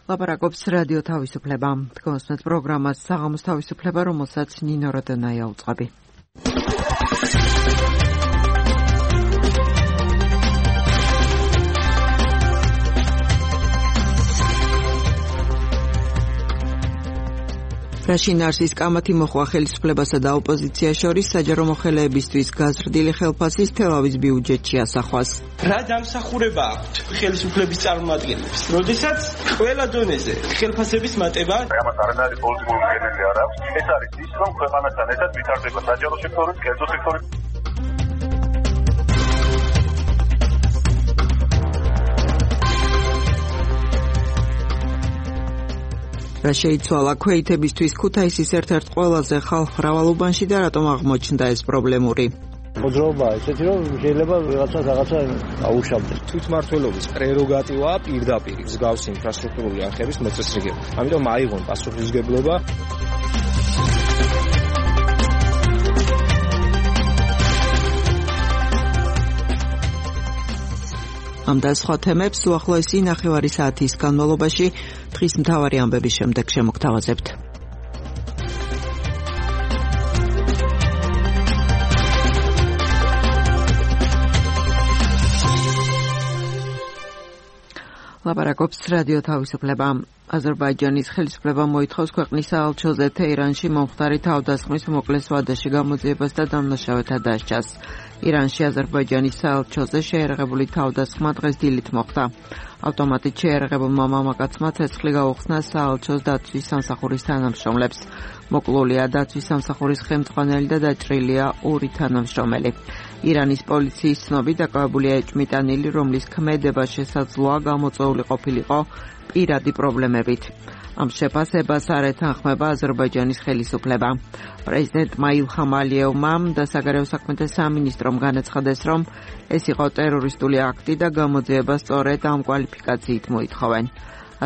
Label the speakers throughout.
Speaker 1: ლაპარაკობს რადიო თავისუფლება. თქვენს პროგრამას საღამოს თავისუფლება, რომელსაც ნინო როდანაია უწყობი. რაშინარსის კამათი მოხვა ხელისუფლებასა და ოპოზიციას შორის საჯარო მოხელეებისთვის გაზრდილი ხელფასის თელავის ბიუჯეტში ასახვას.
Speaker 2: რა დამსახურება აქვთ ხელისუფლების წარმომადგენლებს, როდესაც ყველა დონეზე ხელფასების მატება
Speaker 3: ამას არანაირი პოლიტიკური მიზეზი არ აქვს. ეს არის ის, რომ ქვეყანასთან ერთად ვითარდება საჯარო სექტორი, კერძო სექტორი.
Speaker 1: რა შეიცვალა ქვეითებისთვის ქუთაისის ერთ-ერთ ყველაზე ხალხმრავალ უბანში და რატომ აღმოჩნდა ეს პრობლემური?
Speaker 4: მოძრაობა ესეთი, რომ შეიძლება რაღაცა აუშავდეს.
Speaker 5: თვითმმართველობის პრეროგატივაა პირდაპირ მსგავსი ინფრასტრუქტურული არხების მოწესრიგება. ამიტომ აიღონ პასუხისმგებლობა.
Speaker 1: ამ და სხვა თემებს უახლოესი ნახევარი საათის განმავლობაში დღის მთავარი ამბების შემდეგ შემოგთავაზებთ. ლაპარაკობს რადიო თავისუფლება. აზერბაიჯანის ხელისუფლება მოითხოვს ქვეყნის საელჩოზე თეირანში მომხდარი თავდასხმის უმოკლეს ვადაში გამოძიებას და დამნაშავეთა დასჯას. ირანში აზერბაიჯანის საელჩოზე შეერაღებული თავდასხმა დღეს დილით მოხდა. ავტომატით შეერაღებულმა მამაკაცმა ცეცხლი გაუხსნა საელჩოს დაცვის სამსახურის თანამშრომლებს. მოკლულია დაცვის სამსახურის ხელმძღვანელი და დაჭრილია ორი თანამშრომელი. ირანის პოლიციის ცნობით დაკავებულია ეჭვმიტანილი, რომლის ქმედება შესაძლოა გამოწვეული ყოფილიყო პირადი პრობლემებით. ამ შეფასებას არ ეთანხმება აზერბაიჯანის ხელისუფლება. პრეზიდენტმა ილჰამ ალიევმა და საგარეო საქმეთა სამინისტრომ განაცხადეს, რომ ეს იყო ტერორისტული აქტი და გამოძიება სწორედ ამ კვალიფიკაციით მოითხოვენ.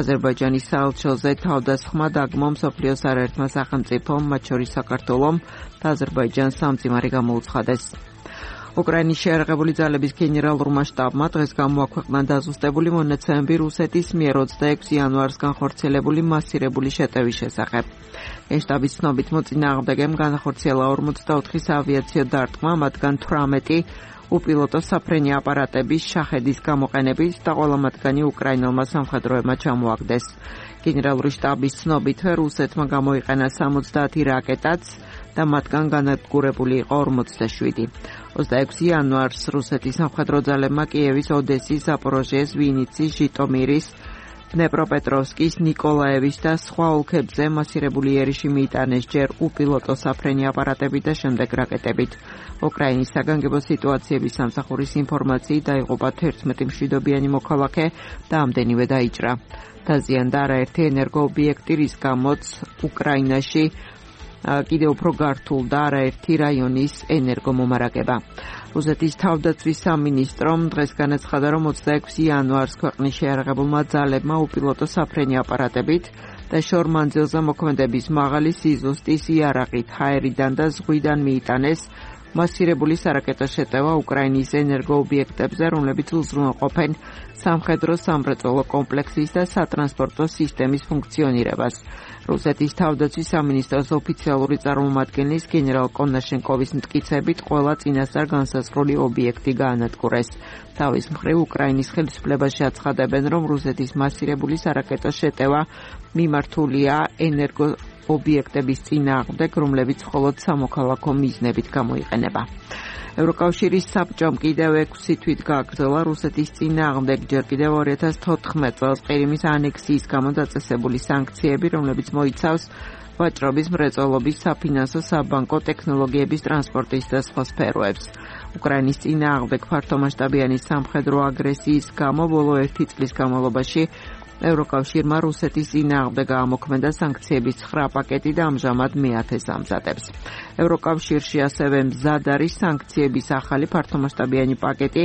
Speaker 1: აზერბაიჯანის საელჩოზე თავდასხმა დაგმო მსოფლიოს არაერთმა სახელმწიფომ, მათ შორის საქართველომ და აზერბაიჯანს სამძიმარი გამოუცხადეს. უკრაინის შეერაღებული ძალების გენერალურმა შტაბმა დღეს გამოაქვეყნა დაზუსტებული მონაცემები რუსეთის მიერ 26 იანვარს განხორციელებული მასირებული შეტევის შესახებ. შტაბის ცნობით მოწინააღმდეგემ განახორციელა 44 საავიაციო დარტყმა, მათგან 18 უპილოტო საფრენი აპარატების შაჰედის გამოყენებით და ყველა მათგანი უკრაინელმა სამხედროებმა ჩამოაგდეს. გენერალური შტაბის ცნობით რუსეთმა გამოიყენა 70 რაკეტაც და მათგან განადგურებული იყო 47. 26 იანვარს რუსეთის სამხედრო ძალებმა კიევის, ოდესის, ზაპოროჟიეს, ვინიცის, ჟიტომირის, დნეპროპეტროვსკის, ნიკოლაევის და სხვა ოლქებზე მასირებული იერიში მიიტანეს ჯერ უპილოტო საფრენი აპარატებით და შემდეგ რაკეტებით. უკრაინის საგანგებო სიტუაციების სამსახურის ინფორმაციით დაიღუპა 11 მშვიდობიანი მოქალაქე და ამდენივე დაიჭრა. დაზიანდა არაერთი ენერგოობიექტი, რის გამოც უკრაინაში კიდევ უფრო გართულდა არაერთი რაიონის ენერგომომარაგება. რუსეთის თავდაცვის სამინისტრომ დღეს განაცხადა, რომ 26 იანვარს ქვეყნის შეერაღებულმა ძალებმა უპილოტო საფრენი აპარატებით და შორმანძილზე მოქმედების მაღალი სიზუსტის იარაღით ჰაერიდან და ზღვიდან მიიტანეს მასირებული სარაკეტო შეტევა უკრაინის ენერგოობიექტებზე, რომლებიც უზრუნველყოფენ სამხედრო სამრეწველო კომპლექსის და სატრანსპორტო სისტემის ფუნქციონირებას. რუსეთის თავდაცვის სამინისტროს ოფიციალური წარმომადგენლის გენერალ კონაშენკოვის მტკიცებით ყველა წინასწარ განსაზღვრული ობიექტი გაანადგურეს. თავის მხრივ უკრაინის ხელისუფლებაში აცხადებენ, რომ რუსეთის მასირებული სარაკეტო შეტევა მიმართულია ობიექტების წინააღმდეგ, რომლებიც მხოლოდ სამოქალაქო მიზნებით გამოიყენება. ევროკავშირის საბჭომ კიდევ 6 თვით გააგრძელა რუსეთის წინააღმდეგ ჯერ კიდევ 2014 წელს ყირიმის ანექსიის გამო დაწესებული სანქციები, რომლებიც მოიცავს ვაჭრობის, მრეწველობის, საფინანსო, საბანკო, ტექნოლოგიების, ტრანსპორტის და სხვა სფეროებს. უკრაინის წინააღმდეგ ფართომასშტაბიანი სამხედრო აგრესიის გამო ბოლო 1 წლის განმავლობაში ევროკავშირმა რუსეთის წინააღმდეგ გაამოქმედა სანქციების 9 პაკეტი და ამჟამად მე-10-ს ამზადებს. ევროკავშირში ასევე მზად არის სანქციების ახალი ფართომასშტაბიანი პაკეტი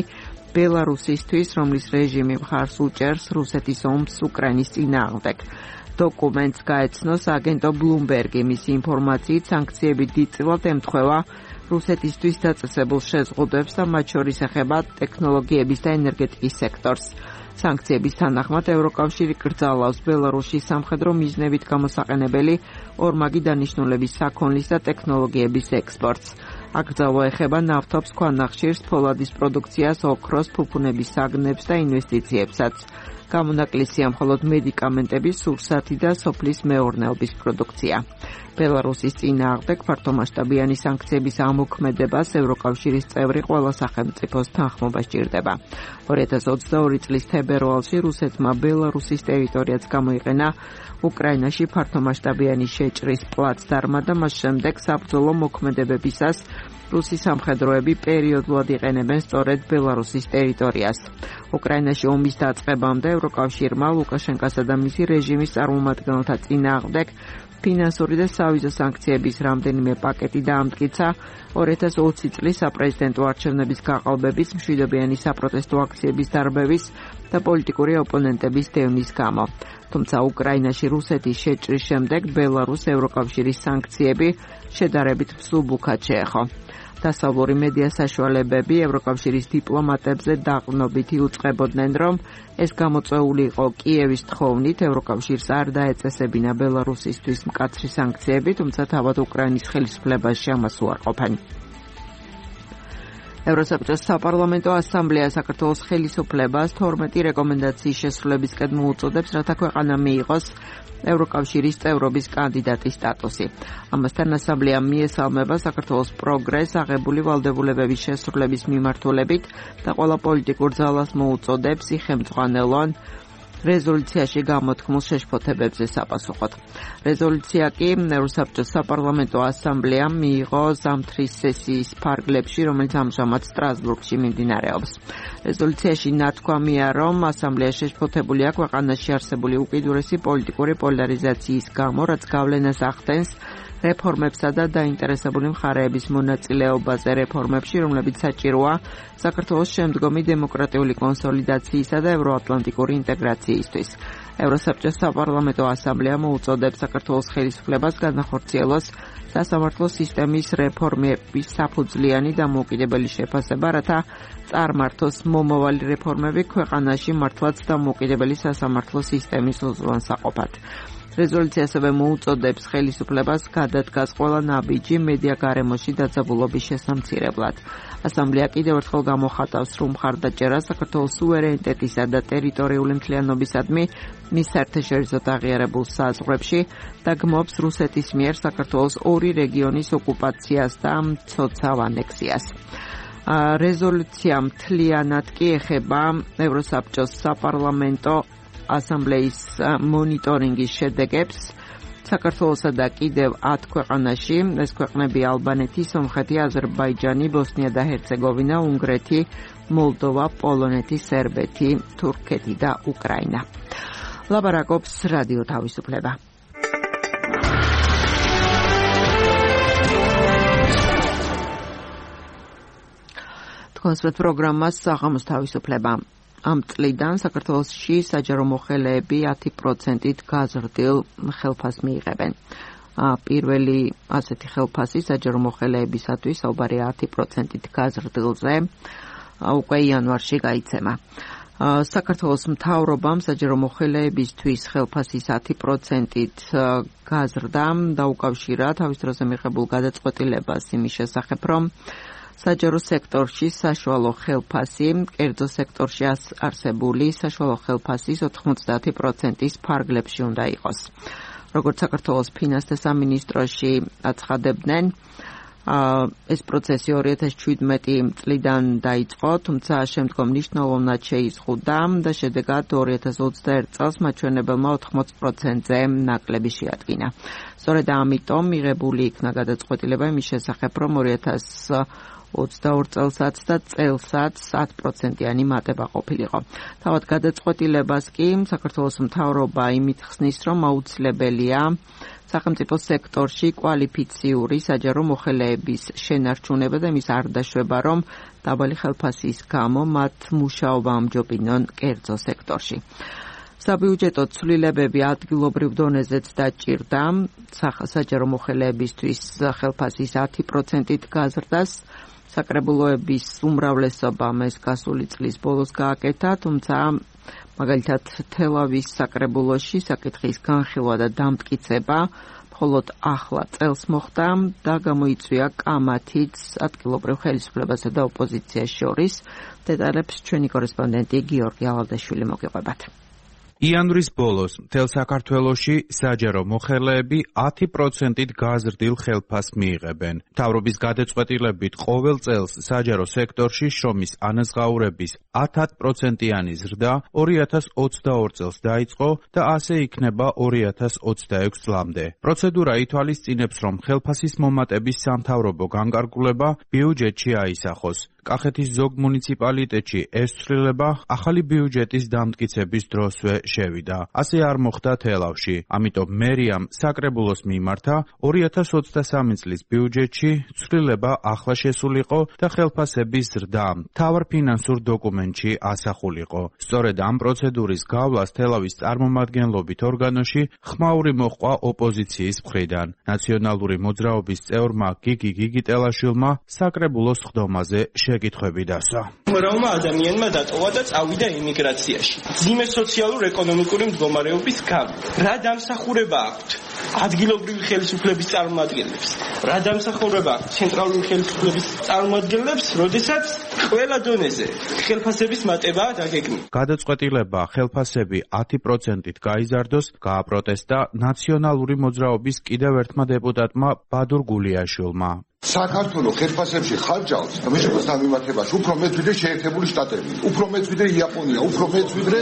Speaker 1: ბელარუსისთვის, რომლის რეჟიმი მხარს უჭერს რუსეთის ომს უკრაინის წინააღმდეგ. დოკუმენტს გაეცნოს აგენტო ბლუმბერგი. მისი ინფორმაციით სანქციები დიდწილად ემთხვევა რუსეთისთვის დაწესებულ შეზღუდვებს და მათ შორის ეხება ტექნოლოგიების და ენერგეტიკის სექტორს. სანქციების თანახმად ევროკავშირი კრძალავს ბელარუსის სამხედრო მიზნებით გამოსაყენებელი ორმაგი დანიშნულების საქონლის და ტექნოლოგიების ექსპორტს. აკრძალვა ეხება ნავთობს, ქვანახშირს, ფოლადის პროდუქციას, ოქროს, ფუფუნების საგნებს და ინვესტიციებსაც. გამონაკლისია მხოლოდ მედიკამენტების, სურსათი და სოფლის მეურნეობის პროდუქცია. ბელარუსის წინააღმდეგ ფართომასშტაბიანი სანქციების ამოქმედებას ევროკავშირის წევრი ყველა სახელმწიფოს თანხმობა სჭირდება. 2022 წლის თებერვალში რუსეთმა ბელარუსის ტერიტორიაც გამოიყენა უკრაინაში ფართომასშტაბიანი შეჭრის პლაცდარმა და მას შემდეგ საბრძოლო მოქმედებებისას რუსი სამხედროები პერიოდულად იყენებენ სწორედ ბელარუსის ტერიტორიას. უკრაინაში ომის დაწყებამდე ევროკავშირმა ლუკაშენკასა და მისი რეჟიმის წარმომადგენელთა წინააღმდეგ ფინანსური და სავიზო სანქციების რამდენიმე პაკეტი დაამტკიცა 2020 წლის საპრეზიდენტო არჩევნების გაყალბების, მშვიდობიანი საპროტესტო აქციების დარბევის და პოლიტიკური ოპონენტების დევნის გამო. თუმცა უკრაინაში რუსეთის შეჭრის შემდეგ ბელარუსს ევროკავშირის სანქციები შედარებით მსუბუქად შეეხო. დასავლური მედია საშუალებები ევროკავშირის დიპლომატებზე დაყრდნობით იუწყებოდნენ, რომ ეს გამოწვეული იყო კიევის თხოვნით, ევროკავშირს არ დაეწესებინა ბელარუსისთვის მკაცრი სანქციები, თუმცა თავად უკრაინის ხელისუფლებაში ამას უარყოფენ. ევროსაბჭოს საპარლამენტო ასამბლეა საქართველოს ხელისუფლებას 12 რეკომენდაციის შესრულებისკენ მოუწოდებს, რათა ქვეყანა მიიღოს ევროკავშირის წევრობის კანდიდატის სტატუსი. ამასთან ასამბლეამ მიესალმება საქართველოს პროგრესს აღებული ვალდებულებების შესრულების მიმართულებით და ყველა პოლიტიკურ ძალას მოუწოდებს იხელმძღვანელონ რეზოლუციაში გამოთქმულ შეშფოთებებზე საპასუხოდ. რეზოლუცია კი ევროსაბჭოს საპარლამენტო ასამბლეამ მიიღო ზამთრის სესიის ფარგლებში, რომელიც ამჟამად სტრასბურგში მიმდინარეობს. რეზოლუციაში ნათქვამია, რომ ასამბლეა შეშფოთებულია ქვეყანაში არსებული უკიდურესი პოლიტიკური პოლარიზაციის გამო, რაც გავლენას ახდენს რეფორმებსა და დაინტერესებული მხარეების მონაწილეობაზე რეფორმებში, რომლებიც საჭიროა საქართველოს შემდგომი დემოკრატიული კონსოლიდაციისა და ევროატლანტიკური ინტეგრაციისთვის. ევროსაბჭოს საპარლამენტო ასამბლეა მოუწოდებს საქართველოს ხელისუფლებას განახორციელოს სასამართლო სისტემის რეფორმების საფუძვლიანი დამოუკიდებელი შეფასება, რათა წარმართოს მომავალი რეფორმები ქვეყანაში მართლაც დამოუკიდებელი სასამართლო სისტემის უზრუნველსაყოფად. რეზოლუცია ასევე მოუწოდებს ხელისუფლებას გადადგას ყველა ნაბიჯი მედია გარემოში დაძაბულობის შესამცირებლად. ასამბლეა კიდევ ერთხელ გამოხატავს სრულ მხარდაჭერას საქართველოს სუვერენიტეტისა და ტერიტორიული მთლიანობისადმი მის საერთაშორისოდ აღიარებულ საზღვრებში და გმობს რუსეთის მიერ საქართველოს ორი რეგიონის ოკუპაციას და მცოცავ ანექსიას. რეზოლუცია მთლიანად კი ეხება ევროსაბჭოს საპარლამენტო ასამბლეის მონიტორინგის შედეგებს საქართველოსა და კიდევ 10 ქვეყანაში, ეს ქვეყნები ალბანეთი, სომხეთი, აზერბაიჯანი, ბოსნია და ჰერცეგოვინა, უნგრეთი, მოლდოვა, პოლონეთი, სერბეთი, თურქეთი და უკრაინა. ლაბარაკობს რადიო თავისუფლება. თქვენსვეთ პროგრამას საღამოს თავისუფლება. ამ წლიდან საქართველოში საჯარო მოხელეები 10%-ით გაზრდილ ხელფასს მიიღებენ. პირველი ასეთი ხელფასი საჯარო მოხელეებისათვის საუბარი 10%-ით გაზრდილზე უკვე იანვარში გაიცემა. საქართველოს მთავრობამ საჯარო მოხელეებისთვის ხელფასის 10%-ით გაზრდა დაუკავშირა თავის დროზე მიღებულ გადაწყვეტილებას იმის შესახებ, რომ საჯარო სექტორში საშუალო ხელფასი, კერძო სექტორში არსებული საშუალო ხელფასის 90%-ის ფარგლებში უნდა იყოს. როგორც საქართველოს ფინანსთა სამინისტროში აცხადებდნენ, ეს პროცესი 2017 წლიდან დაიწყო, თუმცა შემდგომ მნიშვნელოვნად შეიზღუდა და შედეგად 2021 წელს მაჩვენებელმა 80%-ზე ნაკლები შეადგინა. სწორედ ამიტომ მიღებული იქნა გადაწყვეტილება იმის შესახებ, რომ 2022 წელსაც და წელსაც 10%-იანი მატება ყოფილიყო. თავად გადაწყვეტილებას კი საქართველოს მთავრობა იმით ხსნის, რომ აუცილებელია სახელმწიფო სექტორში კვალიფიციური საჯარო მოხელეების შენარჩუნება და იმის არ დაშვება, რომ დაბალი ხელფასის გამო მათ მუშაობა ამჯობინონ კერძო სექტორში. საბიუჯეტო ცვლილებები ადგილობრივ დონეზეც დაჭირდა საჯარო მოხელეებისთვის ხელფასის 10%-ით გაზრდას. საკრებულოების უმრავლესობამ ეს გასული წლის ბოლოს გააკეთა, თუმცა მაგალითად, თელავის საკრებულოში საკითხის განხილვა და დამტკიცება მხოლოდ ახლა წელს მოხდა და გამოიწვია კამათიც ადგილობრივ ხელისუფლებასა და ოპოზიციას შორის. დეტალებს ჩვენი კორესპონდენტი გიორგი ალავდაშვილი მოგიყვებათ.
Speaker 6: იანვრის ბოლოს მთელ საქართველოში საჯარო მოხელეები 10%-ით გაზრდილ ხელფასს მიიღებენ. მთავრობის გადაწყვეტილებით ყოველ წელს საჯარო სექტორში შრომის ანაზღაურების 10%-იანი ზრდა 2022 წელს დაიწყო და ასე იქნება 2026 წლამდე. პროცედურა ითვალისწინებს, რომ ხელფასის მომატების სამთავრობო განკარგულება ბიუჯეტში აისახოს. კახეთის ზოგ მუნიციპალიტეტში ეს ცვლილება ახალი ბიუჯეტის დამტკიცების დროსვე შევიდა. ასე არ მოხდა თელავში. ამიტომ მერიამ საკრებულოს მიმართა 2023 წლის ბიუჯეტში ცვლილება ახლა შესულიყო და ხელფასების ზრდა მთავარ ფინანსურ დოკუმენტში ასახულიყო. სწორედ ამ პროცედურის გავლას თელავის წარმომადგენლობით ორგანოში ხმაური მოჰყვა ოპოზიციის მხრიდან. ნაციონალური მოძრაობის წევრმა გიგი გიგიტელაშვილმა საკრებულოს ხდომაზე შეკითხვები დასვა.
Speaker 2: მრავალმა ადამიანმა დატოვა და წავიდა ემიგრაციაში. ძიმე სოციალურ-ეკონომიკური მდგომარეობის გამო. რა დამსახურება აქვთ ადგილობრივი ხელისუფლების წარმომადგენლებს? რა დამსახურება აქვთ ცენტრალური ხელისუფლების წარმომადგენლებს, როდესაც ყველა დონეზე ხელფასების მატებაა დაგეგმილი?
Speaker 6: გადაწყვეტილება ხელფასები 10%-ით გაიზარდოს გააპროტესტა ნაციონალური მოძრაობის კიდევ ერთმა დეპუტატმა ბადურ გულიაშვილმა.
Speaker 7: საქართველოს ხელფასებში ხარჯავს მშპ-ს დამემართებაში უფრო მეტ ვიდრე შეერთებული შტატები, უფრო მეტ ვიდრე იაპონია, უფრო მეტ ვიდრე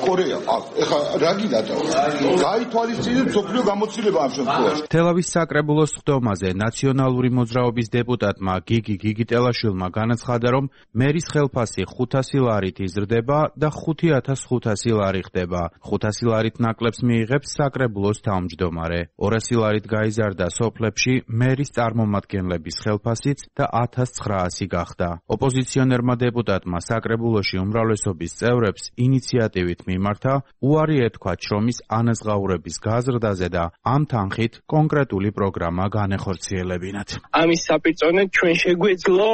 Speaker 7: კორეა. ეხლა რა გინდა? გაითვალისწინეთ მსოფლიო გამოცდილება ამ შემთხვევაში.
Speaker 6: თელავის საკრებულოს ხდომაზე ნაციონალური მოძრაობის დეპუტატმა გიგი გიგიტელაშვილმა განაცხადა, რომ მერის ხელფასი 500 ლარით იზრდება და 5500 ლარი ხდება. 500 ლარით ნაკლებს მიიღებს საკრებულოს თავმჯდომარე. 200 ლარით გაიზარდა სოფლებში მერის წარმომადგენლები ხელფასიც და 1900 გახდა. ოპოზიციონერმა დეპუტატმა საკრებულოში უმრავლესობის წევრებს ინიციატივით მიმართა უარი ეთქვათ შრომის ანაზღაურების გაზრდაზე და ამ თანხით კონკრეტული პროგრამა განეხორციელებინათ.
Speaker 8: ამის საპირწონედ ჩვენ შეგვეძლო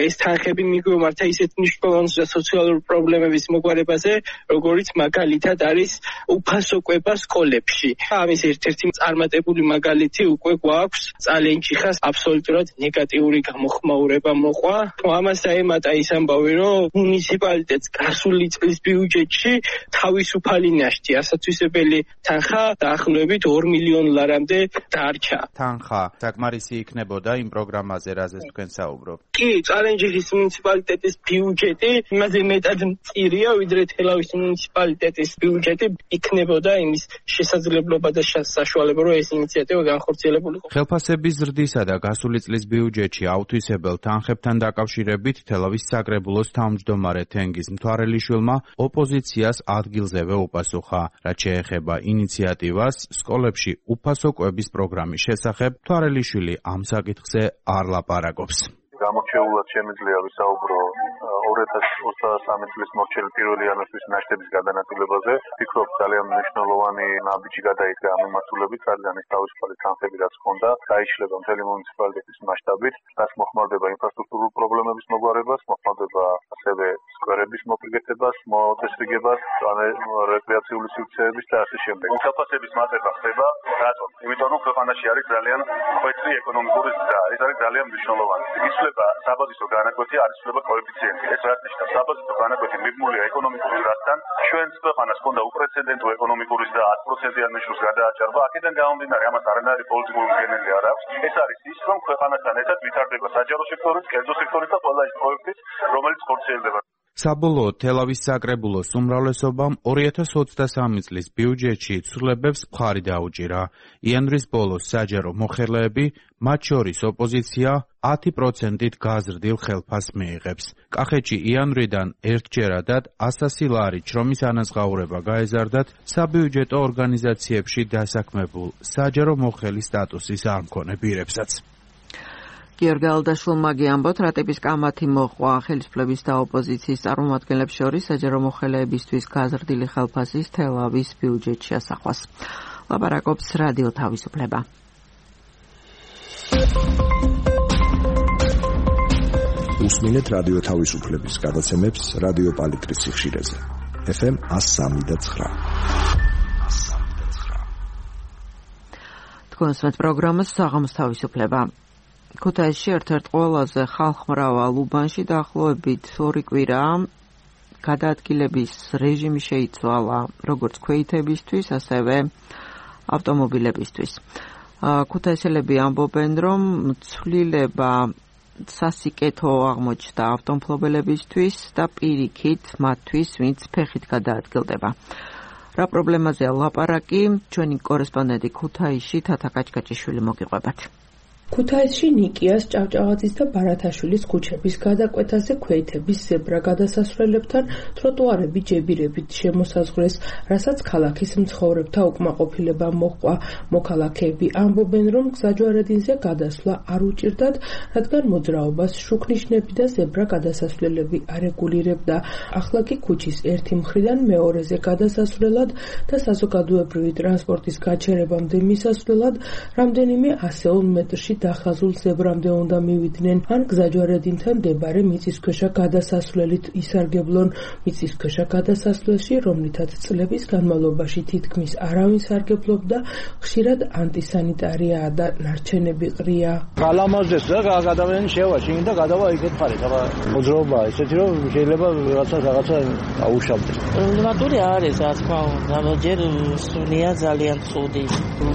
Speaker 8: ეს თანხები მიგვემართა ისეთ მნიშვნელოვან სოციალურ პრობლემების მოგვარებაზე, როგორიც მაგალითად არის უფასო კვება სკოლებში. ამის ერთ-ერთი წარმატებული მაგალითი უკვე გვაქვს წალენჯიხას აბსოლუტურად ნეგატიური გამოხმაურება მოყვა. ამას დაემატა ის ამბავი, რომ მუნიციპალიტეტს გასული წლის ბიუჯეტში თავისუფალი ნაშთი ასათვისებელი თანხა დაახლოებით 2 მილიონ ლარამდე დარჩა.
Speaker 6: თანხა საკმარისი იქნებოდა იმ პროგრამაზე, რაზეც თქვენ საუბრობთ?
Speaker 8: კი, წალენჯიხის მუნიციპალიტეტის ბიუჯეტი იმაზე მეტად მწირია, ვიდრე თელავის მუნიციპალიტეტის ბიუჯეტი იქნებოდა იმის შესაძლებლობა და საშუალება, რომ ეს ინიციატივა განხორციელებულიყო.
Speaker 6: ხელფასების ზრდისა და გასული წლის ბიუჯეტში აუთვისებელ თანხებთან დაკავშირებით თელავის საკრებულოს თავმჯდომარე თენგიზ მთვარელიშვილმა ოპოზიციას ადგილზევე უპასუხა. რაც შეეხება ინიციატივას სკოლებში უფასო კვების პროგრამის შესახებ, მთვარელიშვილი ამ საკითხზე არ ლაპარაკობს.
Speaker 3: გამორჩეულად შემიძლია ვისაუბრო 2023 წლის მორჩილი 1 იანვრის ნაშთების გადანაწილებაზე. ვფიქრობ, ძალიან მნიშვნელოვანი ნაბიჯი გადაიდგა ამ მიმართულებით, რადგან ის თავისუფალი თანხები რაც ჰქონდა, გაიშლება მთელი მუნიციპალიტეტის მასშტაბით, რაც მოხმარდება ინფრასტრუქტურულ პრობლემების მოგვარებას, მოხმარდება ასევე სკვერების მოპირკეთებას, მოწესრიგებას, რეკრეაციული სივრცეების და ასე შემდეგ. ხელფასების მატება ხდება, რატომ? იმიტომ რომ ქვეყანაში არის ძალიან ხვეწი ეკონომიკური ზრდა, ეს არის ძალიან მნიშვნელოვანი. იცვლება საბაზისო განაკვეთი, არ იცვლება კოეფიციენტი. ეს რაც ნიშნავს, საბაზისო განაკვეთი მიბმულია ეკონომიკური ზრდასთან. ჩვენს ქვეყანას ჰქონდა უპრეცედენტო ეკონომიკური ზრდა 10%-იან ნიშნულს გადააჭარბა. აქედან გამომდინარე, ამას არანაირი პოლიტიკური მდგენელი არ აქვს. ეს არის ის, რომ ქვეყანასთან ერთად ვითარდება საჯარო სექტორიც, კერძო სექტორიც და ყველა ის პროექტიც, რომელიც ხორციელდება.
Speaker 6: საბოლოოდ თელავის საკრებულოს უმრავლესობამ 2023 წლის ბიუჯეტში ცვლილებებს მხარი დაუჭირა. იანვრის ბოლოს საჯარო მოხელეები, მათ შორის ოპოზიცია 10%-ით გაზრდილ ხელფასს მიიღებს. კახეთში იანვრიდან ერთჯერადად 100 ლარი შრომის ანაზღაურება გაეზარდათ საბიუჯეტო ორგანიზაციებში დასაქმებულ საჯარო მოხელის სტატუსის არ მქონე პირებსაც.
Speaker 1: გიორგი ალავდაშვილმა ამბობთ, რატების კამათი მოყვა ხელისუფლების და ოპოზიციის წარმომადგენლებს შორის საჯარო მოხელეებისთვის გაზრდილი ხელფასის თელავის ბიუჯეტში ასახვას. ლაპარაკობს რადიო თავისუფლება.
Speaker 9: უსმინეთ რადიო თავისუფლების გადაცემებს რადიო პალიტრის სიხშირეზე. FM 103.9.
Speaker 1: თქვენს პროგრამას საღამოს თავისუფლება. ქუთაისში ერთ-ერთ ყველაზე ხალხმრავალ უბანში დაახლოებით 2 კვირაა გადაადგილების რეჟიმი შეიცვალა როგორც ქვეითებისთვის, ასევე ავტომობილებისთვის. ქუთაისელები ამბობენ, რომ ცვლილება სასიკეთო აღმოჩნდა ავტომობილებისთვის და პირიქით მათთვის, ვინც ფეხით გადაადგილდება. რა პრობლემაზეა ლაპარაკი, ჩვენი კორესპონდენტი ქუთაისში თათა კაჭკაჭიშვილი მოგიყვებათ.
Speaker 10: ქუთაისში ნიკიას, ჭავჭავაძის და ბარათაშვილის ქუჩების გადაკვეთაზე ქვეითების ზებრა გადასასვლელებთან ტროტუარები ჯებირებით შემოსაზღვრეს, რასაც ქალაქის მცხოვრებთა უკმაყოფილება მოჰყვა. მოქალაქეები ამბობენ, რომ გზაჯვარედინზე გადასვლა არ უჭირდათ, რადგან მოძრაობას შუქნიშნები და ზებრა გადასასვლელები არეგულირებდა. ახლა კი ქუჩის ერთი მხრიდან მეორეზე გადასასვლელად და საზოგადოებრივი ტრანსპორტის გაჩერებამდე მისასვლელად რამდენიმე ასეულ მეტრში დახაზულ ზებრამდე უნდა მივიდნენ, ან გზაჯვარედინთან მდებარე მიწისქვეშა გადასასვლელით ისარგებლონ. მიწისქვეშა გადასასვლელში, რომლითაც წლების განმავლობაში თითქმის არავინ სარგებლობდა, ხშირად ანტისანიტარიაა და ნარჩენები ყრია.
Speaker 4: გალამაზდეს და ადამიანი შევაჩინი და გადავა იქეთ მხარეს. აბა მოძრაობა ისეთი, რომ შეიძლება რაღაცა აუშავდეს.
Speaker 11: პრობლემატური არის, რა თქმა უნდა, ჯერ სულია ძალიან ცუდი.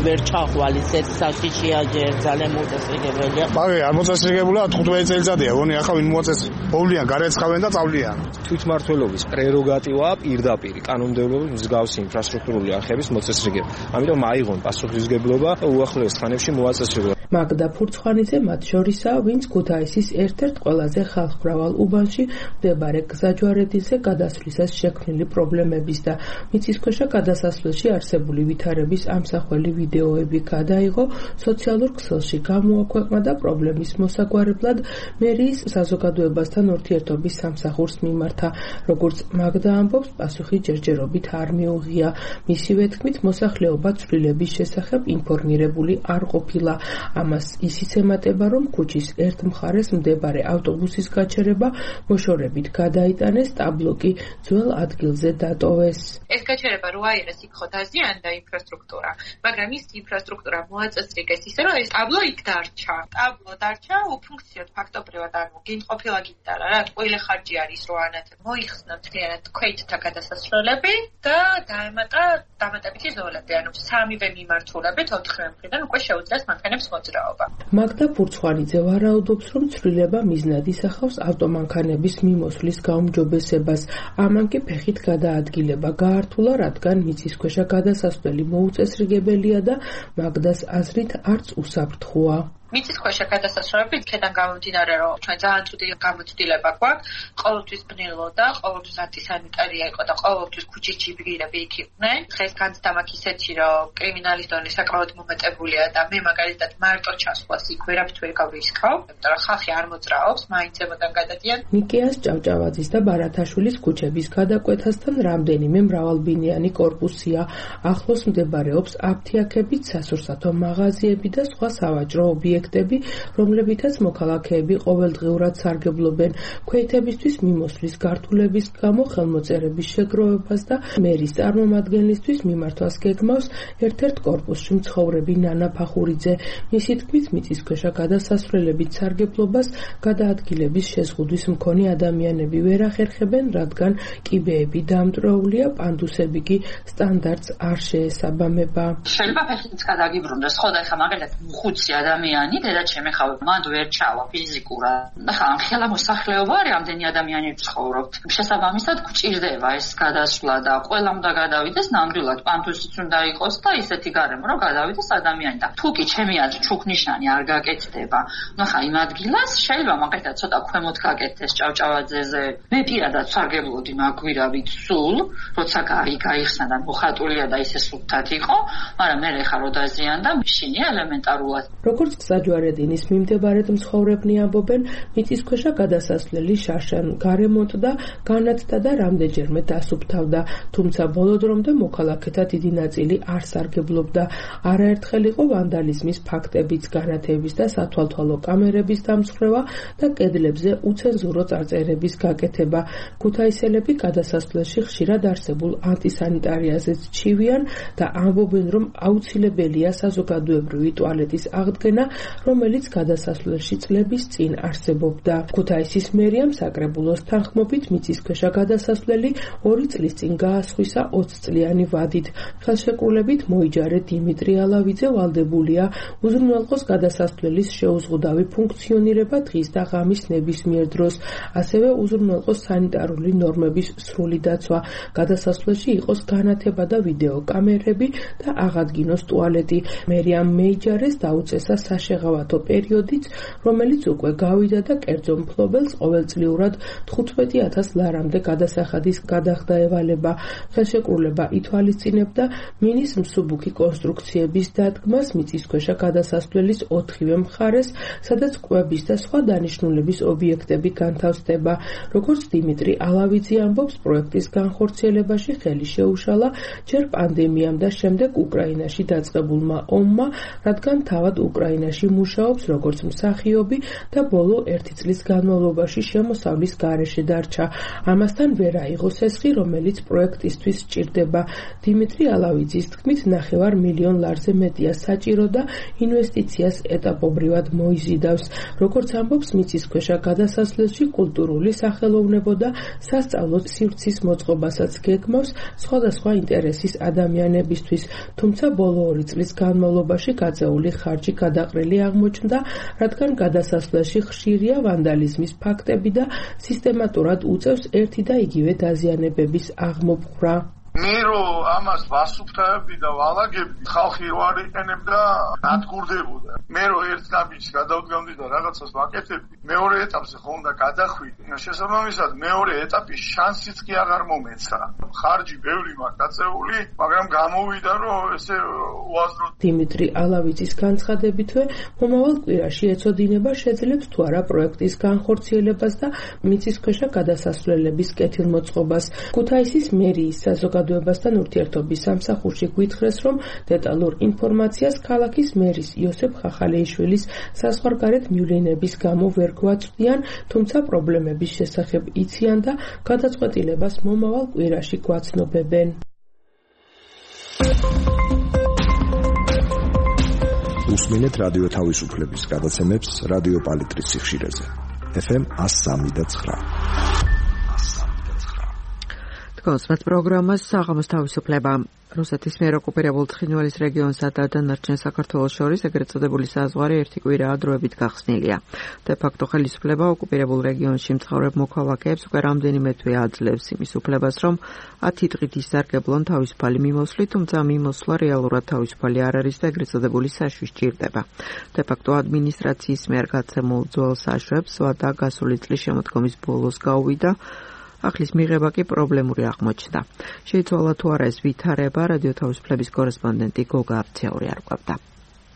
Speaker 11: ვერ ჩახვალის ეს საშიშია ჯერ ძალიან მოწესრიგებელია.
Speaker 12: მაგე არ მოწესრიგებულა 15 წელიწადია, ვონი ახლა ვინ მოაწეს მოვლიან, გარეცხავენ და წავლიან.
Speaker 5: თვითმმართველობის პრეროგატივაა პირდაპირ კანონმდებლობის მსგავსი ინფრასტრუქტურული არხების მოწესრიგება. ამიტომ აიღონ პასუხისმგებლობა და უახლოეს ხანებში მოაწესრიგონ.
Speaker 10: მაგდა ფურცხვანიძე მათ შორისაა, ვინც ქუთაისის ერთ-ერთ ყველაზე ხალხმრავალ უბანში მდებარე გზაჯვარედინზე გადასვლისას შექმნილი პრობლემების და მიწისქვეშა გადასასვლელში არსებული ვითარების ამსახველი ვიდეოები გადაიღო, სოციალურ ქსელში გამოაქვეყნა და პრობლემის მოსაგვარებლად მერიის საზოგადოებასთან ურთიერთობის სამსახურს მიმართა. როგორც მაგდა ამბობს, პასუხი ჯერჯერობით არ მიუღია. მისივე თქმით, მოსახლეობა ცვლილების შესახებ ინფორმირებული არ ყოფილა. ამას ისიც ემატება, რომ ქუჩის ერთ მხარეს მდებარე ავტობუსის გაჩერება მოშორებით გადაიტანეს, ტაბლოკი ძველ ადგილზე დატოვეს.
Speaker 13: ეს გაჩერება რო აიღეს, იქ ხო დაზიანდა ინფრასტრუქტურა, მაგრამ ის ინფრასტრუქტურა მოაწესრიგეს ისე, რომ ეს ტაბლო იქ დარჩა. ტაბლო დარჩა უფუნქციოდ ფაქტობრივად, ანუ გინყოფილა გინდარა რა, ყველა ხარჯი არის რო ანათებ. მოიხსნა მთლიანად ქვეითთა გადასასვლელები და დაემატა დამატებითი ზოლები, ანუ სამივე მიმართულებით 4 მხრიდან უკვე შეუძლიათ მანქანებს მოძრაობა.
Speaker 10: მაგდა ფურცხვანიძე ვარაუდობს, რომ ცვლილება მიზნად ისახავს ავტომანქანების მიმოსვლის გაუმჯობესებას. ამან კი ფეხით გადაადგილება გაართულა, რადგან მიწისქვეშა გადასასვლელი მოუწესრიგებელია და მაგდას აზრით არც უსაფრთხოა.
Speaker 13: მიწისქვეშა გადასასვლელები იქიდან გამომდინარე, რომ ჩვენ ძალიან ცუდი გამოცდილება გვაქვს, ყოველთვის ბნელო და ყოველთვის ანტისანიტარია იყო და ყოველთვის ქუჩის ჯიბირები იქ იყვნენ. დღეს განცდა მაქვს ისეთი, რომ კრიმინალის დონე საკმაოდ მომეტებულია და მე მაგალითად მარტო ჩასვლას იქ ვერაფრით ვერ გავრისკავ, იმიტომ რომ ხალხი არ მოძრაობს, მაინც ემოდან გადადიან.
Speaker 10: ნიკიას, ჭავჭავაძის და ბარათაშვილის ქუჩების გადაკვეთასთან რამდენიმე მრავალბინიანი კორპუსია. ახლოს მდებარეობს აფთიაქებით, სასურსათო მაღაზიები და სხვა სავაჭრო ობიექტები, რომლებითაც მოქალაქეები ყოველდღიურად სარგებლობენ. ქვეითებისთვის მიმოსვლის გართულების გამო ხელმოწერების შეგროვებას და მერის წარმომადგენლისთვის მიმართვას გეგმავს ერთ-ერთ კორპუსში მცხოვრები ნანა ფახურიძე. მისი თქმით, მიწისქვეშა გადასასვლელებით სარგებლობას გადაადგილების შეზღუდვის მქონე ადამიანები ვერ ახერხებენ, რადგან კიბეები დამტვრეულია, პანდუსები კი სტანდარტს არ შეესაბამება.
Speaker 14: შეიძლება ფეხით გადაგიბრუნდეს, ხო და ეხლა მაგალითად ხუთი ადამიანი დედაჩემი ხავ მანდ ვერ ჩავა ფიზიკურად. ხა ხელა მოსახლეობა რამდენი ადამიანი ცხოვრობთ. შესაბამისად გვჭირდება ეს გადასვლა და ყველამ და გადავიდეს ნამდვილად პანთუსიც უნდა იყოს და ისეთი გარემო რომ გადავიდეს ადამიანი და თუ კი ჩემი აზრით ჩუქნიშანი არ გაკეთდება. ნუ ხა იმ ადგილას შეიძლება მაგალითად ცოტა ქვემოთ გაკეთდეს ჭავჭავაძეზე. მე პირადად სარგებლოდი მაგვირავით სულ, როცა გაიხსნა და მოხატულია და ისე სუფთად იყო, მაგრამ მე ხა რო დაზიანდა, მშინია ელემენტარულად.
Speaker 10: როგორც საჯვარედინის მიმდებარედ მცხოვრებნი ამბობენ, მიწისქვეშა გადასასვლელი შარშან გარემონტდა, განათდა და რამდენჯერმე დასუფთავდა, თუმცა ბოლო დრომდე მოქალაქეთა დიდი ნაწილი არ სარგებლობდა. არაერთხელ იყო ვანდალიზმის ფაქტებიც, განათების და სათვალთვალო კამერების დამსხვრევა და კედლებზე უცენზურო წარწერების გაკეთება. ქუთაისელები გადასასვლელში ხშირად არსებულ ანტისანიტარიაზეც ჩივიან და ამბობენ, რომ აუცილებელია საზოგადოებრივი ტუალეტის აღდგენა, რომელიც გადასასვლელში წლების წინ არსებობდა. ქუთაისის მერიამ საკრებულოს თანხმობით მიწისქვეშა გადასასვლელი 2 წლის წინ გაასხვისა 20 წლიანი ვადით. ხელშეკრულებით მოიჯარე დიმიტრი ალავიძე ვალდებულია უზრუნველყოს გადასასვლელის შეუზღუდავი ფუნქციონირება დღის და ღამის ნებისმიერ დროს, ასევე უზრუნველყოს სანიტარული ნორმების სრული დაცვა. გადასასვლელში იყოს განათება და ვიდეო კამერები და აღადგინოს ტუალეტი. მერიამ მეიჯარეს დაუწესა საშეღავათო პერიოდიც, რომელიც უკვე გავიდა და კერძო მფლობელს ყოველწლიურად 15,000 ლარამდე გადასახადის გადახდა ევალება. ხელშეკრულება ითვალისწინებდა მინის მსუბუქი კონსტრუქციების დადგმას მიწისქვეშა გადასასვლელის 4-ვე მხარეს, სადაც კვების და სხვა დანიშნულების ობიექტები განთავსდება. როგორც დიმიტრი ალავიძე ამბობს, პროექტის განხორციელებაში ხელი შეუშალა ჯერ პანდემიამ და შემდეგ უკრაინაში დაწყებულმა ომმა, რადგან თავად უკრაინაში მუშაობს როგორც მსახიობი და ბოლო 1 წლის განმავლობაში შემოსავლის გარეშე დარჩა. ამასთან ვერ აიღო სესხი, რომელიც პროექტისთვის სჭირდება. დიმიტრი ალავიძის თქმით, 9 მილიონ ლარზე მეტია საჭირო და ინვესტიციას ეტაპობრივად მოიზიდავს. როგორც ამბობს, მიწისქვეშა გადასასვლელში კულტურული სახელოვნებო და სასწავლო სივრცის მოწყობასაც გეგმავს სხვადასხვა ინტერესის ადამიანებისთვის, თუმცა ბოლო 2 წლის განმავლობაში გაწეული ხარჯი გადაყრილი აღმოჩნდა, რადგან გადასასვლელში ხშირია ვანდალიზმის ფაქტები და სისტემატურად უწევს ერთი და იგივე დაზიანებების აღმოფხვრა.
Speaker 7: მე რომ ამას ვასუფთავებდი და ვალაგებდი, ხალხი რო არ იყენებდა, ნადგურდებოდა. მე რომ ერთ ნაბიჯს გადავდგამდი და რაღაცას ვაკეთებდი, მეორე ეტაპზე ხო უნდა გადახვიდე. შესაბამისად, მეორე ეტაპის შანსიც კი აღარ მომეცა. ხარჯი ბევრი მაქვს გაწეული, მაგრამ გამოვიდა, რომ ესე უაზრო.
Speaker 10: დიმიტრი ალავიძის განცხადებითვე, მომავალ კვირაში ეწოდინება შეძლებს თუ არა პროექტის განხორციელებას და მიწისქვეშა გადასასვლელების კეთილმოწყობას. ქუთაისის მერიის საზოგადოებასთან ურთიერთობის სამსახურში გვითხრეს, რომ დეტალურ ინფორმაციას ქალაქის მერის იოსებ ხახალეიშვილის საზღვარგარეთ მივლინების გამო ვერ გვაწვდიან, თუმცა პრობლემების შესახებ იციან და გადაწყვეტილებას მომავალ კვირაში გვაცნობებენ.
Speaker 9: უსმინეთ რადიო თავისუფლების გადაცემებს რადიო პალიტრის სიხშირეზე. FM 103.9.
Speaker 1: კონსმეთ პროგრამას საღამოს თავისუფლება. რუსეთის მიერ ოკუპირებულ ცხინვალის რეგიონსა და დანარჩენ საქართველოს შორის ეგრეთ წოდებული საზღვარი ერთი კვირაა დროებით გახსნილია. დე-ფაქტო ხელისუფლება ოკუპირებულ რეგიონში მცხოვრებ მოქალაქეებს უკვე რამდენიმე თვე აძლევს იმის უფლებას, რომ 10 დღით ისარგებლონ თავისუფალი მიმოსვლით, თუმცა მიმოსვლა რეალურად თავისუფალი არ არის და ეგრეთ წოდებული საშუში სჭირდება. დე-ფაქტო ადმინისტრაციის მიერ გაცემულ ძველ საშვებს ვადა გასული წლის შემოდგომის ბოლოს გაუვიდა. ახლის მიღება კი პრობლემური აღმოჩნდა. შეიცვალა თუ არა ეს ვითარება, რადიო თავისუფლების კორესპონდენტი გოგა აფციური არკვევდა.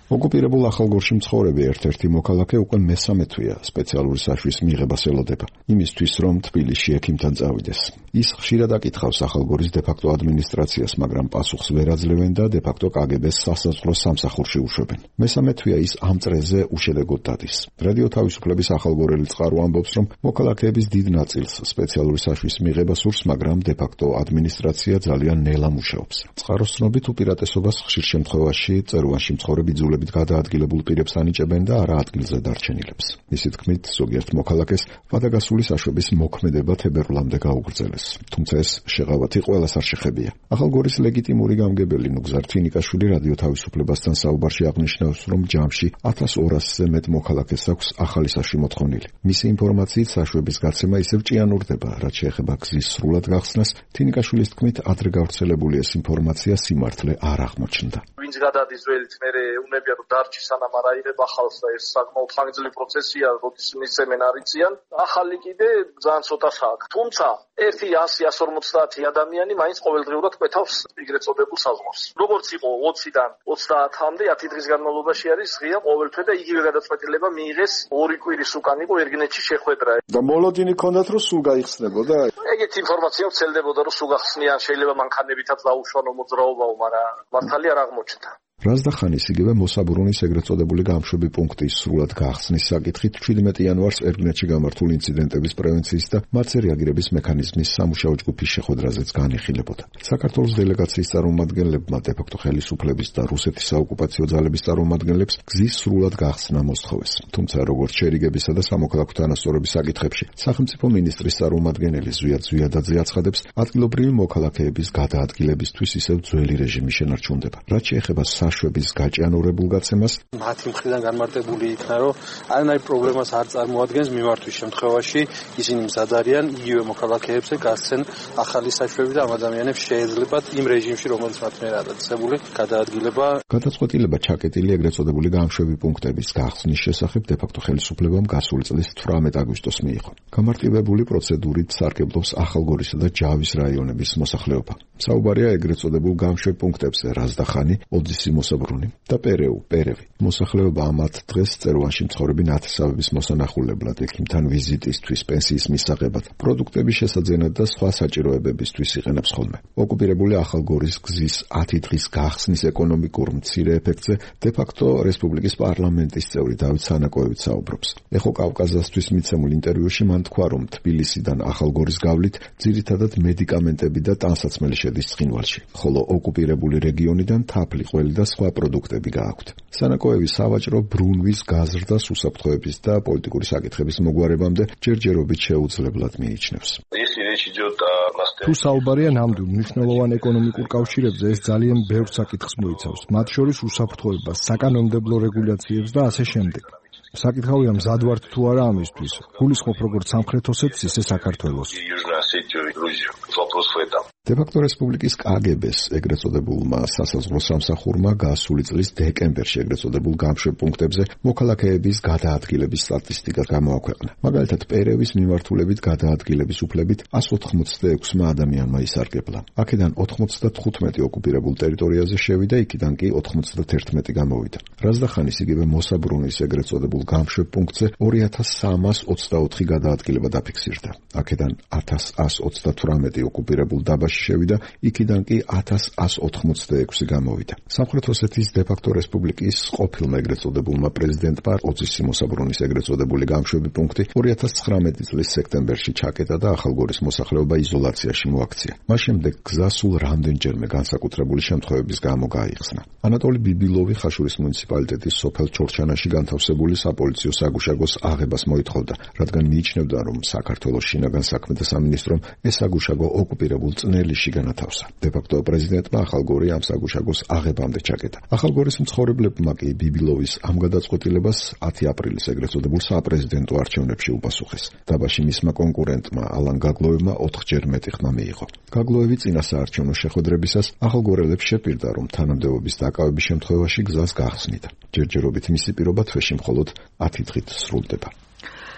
Speaker 9: ოკუპირებულ ახალგორში მცხოვრები ერთ-ერთი მოქალაქე უკვე მესამე თვეა სპეციალური საშვის მიღებას ელოდება, იმისთვის რომ თბილისში ექიმთან წავიდეს. ის ხშირად აკითხავს ახალგორის დე-ფაქტო ადმინისტრაციას, მაგრამ პასუხს ვერ აძლევენ და დე-ფაქტო კგბ-ს სასაზღვრო სამსახურში უშვებენ. მესამე თვეა ის ამ წრეზე უშედეგოდ დადის. რადიო თავისუფლების ახალგორელი წყარო ამბობს, რომ მოქალაქეების დიდ ნაწილს სპეციალური საშვის მიღება სურს, მაგრამ დე-ფაქტო ადმინისტრაცია ძალიან ნელა მუშაობს. წყაროს ცნობით უპირატესობას ხშირ შემთხვევაში წერუანში მცხოვრები იძულებით გადაადგილებულ პირებს ანიჭებენ და არა ადგილზე დარჩენილებს. მისი თქმით, ზოგიერთ მოქალაქეს ვადაგასული საშვების მოქმედება თებერვლამდე გაუგრძელეს. თუმცა ეს შეღავათი ყველას არ შეხებია. ახალგორის ლეგიტიმური გამგებელი ნუგზარ თინიკაშვილი რადიო თავისუფლებასთან საუბარში აღნიშნავს, რომ ჯამში 1200-ზე მეტ მოქალაქეს აქვს ახალი საშვი მოთხოვნილი. მისი ინფორმაციით საშვების გაცემა ისევ ჭიანურდება, რაც შეეხება გზის სრულად გახსნას. თინიკაშვილის თქმით, ადრე გავრცელებული ეს ინფორმაცია სიმართლე არ აღმოჩნდა.
Speaker 15: ვინც გადადის ძველით მერე უნები გამომდინარეებია რომ დარჩი სანამ არ აიღება ხალხს და ეს საკმაოდ ხანგრძლივი პროცესია, როდის მისცემენ არიციან. ახალი კიდე ძალიან ცოტას აქვს. თუმცა 100-150 ადამიანი მაინც ყოველდღიურად კვეთავს ეგრეთ წოდებულ საზღვარს. როგორც იყო 20-დან 30-მდე 10 დღის განმავლობაში არის ღია ყოველთვე და იგივე გადაწყვეტილება მიიღეს 2 კვირის უკან იყო ერგინეთში შეხვედრა.
Speaker 9: და მოლოდინი ქონდათ რომ სულ გაიხსნებოდა?
Speaker 15: ეგეთ ინფორმაცია ვცელდებოდა რომ სულ გახსნიან, შეიძლება მანქანებითაც დაუშვანო მოძრაობაო, მაგრამ მართალი არ აღმოჩნდა.
Speaker 9: რაზდახანის იგივე მოსაბრუნის ეგრეთ წოდებული გამშვები პუნქტის სრულად გახსნის საკითხით 17 იანვარს ერგინეთში გამართულ ინციდენტების პრევენციის და მათზე რეაგირების მექანიზმის სამუშაო ჯგუფის შეხვედრაზეც განიხილებოდა. საქართველოს დელეგაციის წარმომადგენლებმა დე-ფაქტო ხელისუფლების და რუსეთის საოკუპაციო ძალების წარმომადგენლებს გზის სრულად გახსნა მოსთხოვეს. თუმცა როგორც შერიგებისა და სამოქალაქო თანასწორობის საკითხებში სახელმწიფო მინისტრის წარმომადგენელი ზვიად ზვიადაძე აცხადებს, ადგილობრივი მოქალაქეების გადაადგილებისთვის ისევ ძველი რეჟიმი შენარჩუნდება. რაც შეეხება საშვების გაჭიანურებულ გაცემას
Speaker 16: მათი მხრიდან განმარტებული იქნა, რომ არანაირ პრობლემას არ წარმოადგენს მიმართვის შემთხვევაში ისინი მზად არიან იგივე მოქალაქეებზე გასცენ ახალი საშვები და ამ ადამიანებს შეეძლებათ იმ რეჟიმში, რომელიც მათ მიერ დაწესებული გადაადგილება.
Speaker 9: გადაწყვეტილება ჩაკეტილი ეგრეთ წოდებული გამშვები პუნქტების გახსნის შესახებ დე-ფაქტო ხელისუფლებამ გასული წლის 18 აგვისტოს მიიღო. გამარტივებული პროცედურით სარგებლობს ახალგორისა და ჯავის რაიონების მოსახლეობა. საუბარია ეგრეთ წოდებულ გამშვებ პუნქტებზე რაზდახანი, ოძისი მოსაბრუნი და პერევი. მოსახლეობა ამათ დღეს წერვანში მცხოვრები ნათესავების მოსანახულებლად, ექიმთან ვიზიტისთვის, პენსიის მისაღებად, პროდუქტების შესაძენად და სხვა საჭიროებებისთვის იყენებს ხოლმე. ოკუპირებული ახალგორის გზის 10 დღის გახსნის ეკონომიკურ მცირე ეფექტზე დე-ფაქტო რესპუბლიკის პარლამენტის წევრი დავით სანაკოევიც საუბრობს. ეხო კავკაზასთვის მიცემულ ინტერვიუში მან თქვა, რომ თბილისიდან ახალგორის გავლით ძირითადად მედიკამენტები და ტანსაცმელი შედის ცხინვალში, ხოლო ოკუპირებული რეგიონიდან თაფლი, ყველი და სხვა პროდუქტები გააქვთ. სანაკოევი სავაჭრო ბრუნვის გაზრდას უსაფრთხოების და პოლიტიკური საკითხების მოგვარებამდე ჯერჯერობით შეუძლებლად მიიჩნევს.
Speaker 17: თუ საუბარია ნამდვილ მნიშვნელოვან ეკონომიკურ კავშირებზე, ეს ძალიან ბევრ საკითხს მოიცავს, მათ შორის უსაფრთხოებას, საკანონმდებლო რეგულაციებს და ასე შემდეგ. საკითხავია მზად ვართ თუ არა ამისთვის. გულისხმობ როგორც სამხრეთ ოსეთის, ისე საქართველოს.
Speaker 9: დე-ფაქტო რესპუბლიკის კგბ-ს ეგრეთ წოდებულმა სასაზღვრო სამსახურმა გასული წლის დეკემბერში ეგრეთ წოდებულ გამშვებ პუნქტებზე მოქალაქეების გადაადგილების სტატისტიკა გამოაქვეყნა. მაგალითად, პერევის მიმართულებით გადაადგილების უფლებით 186 ადამიანმა ისარგებლა. აქედან 95 ოკუპირებულ ტერიტორიაზე შევიდა, იქიდან კი 91 გამოვიდა. რაზდახანის იგივე მოსაბრუნის ეგრეთ წოდებულ გამშვებ პუნქტზე 2324 გადაადგილება დაფიქსირდა. აქედან 1128 ოკუპირებულ დაბაში შევიდა, იქიდან კი 1186 გამოვიდა. სამხრეთ ოსეთის დე-ფაქტო რესპუბლიკის ყოფილმა ეგრეთ წოდებულმა პრეზიდენტმა ოძისი მოსაბრუნის ეგრეთ წოდებული გამშვები პუნქტი 2019 წლის სექტემბერში ჩაკეტა და ახალგორის მოსახლეობა იზოლაციაში მოაქცია. მას შემდეგ გზა სულ რამდენჯერმე განსაკუთრებული შემთხვევების გამო გაიხსნა. ანატოლი ბიბილოვი ხაშურის მუნიციპალიტეტის სოფელ ჩორჩანაში განთავსებული საპოლიციო საგუშაგოს აღებას მოითხოვდა, რადგან მიიჩნევდა, რომ საქართველოს შინაგან საქმეთა სამინისტრომ ეს საგუშაგო ოკუპირებულ წნელისში განათავსა. დე-ფაქტო პრეზიდენტმა ახალგორი ამ საგუშაგოს აღებამდე ჩაკეტა. ახალგორის მცხოვრებლებმა კი ბიბილოვის ამ გადაწყვეტილებას 10 აპრილის ეგრეთ წოდებულ საპრეზიდენტო არჩევნებში უპასუხეს. დაბაში მისმა კონკურენტმა ალან გაგლოევმა 4-ჯერ მეტი ხმა მიიღო. გაგლოევი წინა საარჩევნო შეხვედრებისას ახალგორელებს შეპირდა, რომ თანამდებობის დაკავების შემთხვევაში გზას გახსნიდა. ჯერჯერობით მისი პირობა თვეში მხოლოდ 10 დღით სრულდება.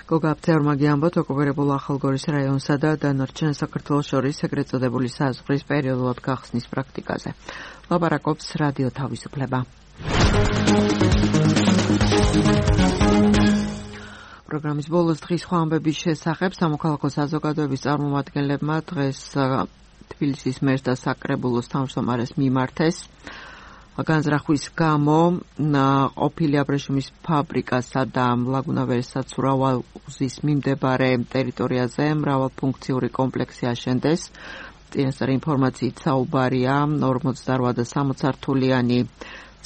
Speaker 1: გოგა აფთიარმაგი ამბობთ, ოკუპირებულ ახალგორის რაიონსა და დანარჩენ საქართველოს შორის ეგრეთ წოდებული საზღვრის პერიოდულად გახსნის პრაქტიკაზე. ლაპარაკობს რადიო თავისუფლება. პროგრამის ბოლოს დღის სხვა ამბების შესახებ სამოქალაქო საზოგადოების წარმომადგენლებმა დღეს თბილისის მერს და საკრებულოს თავმჯდომარეს მიმართეს განზრახვის გამო ყოფილი აბრეშუმის ფაბრიკასა და ლაგუნავერის საცურავალ-უზის მიმდებარე ტერიტორიაზე მრავალფუნქციური კომპლექსი აშენდეს. წინასწარი ინფორმაციით საუბარია 48 და 60 სართულიანი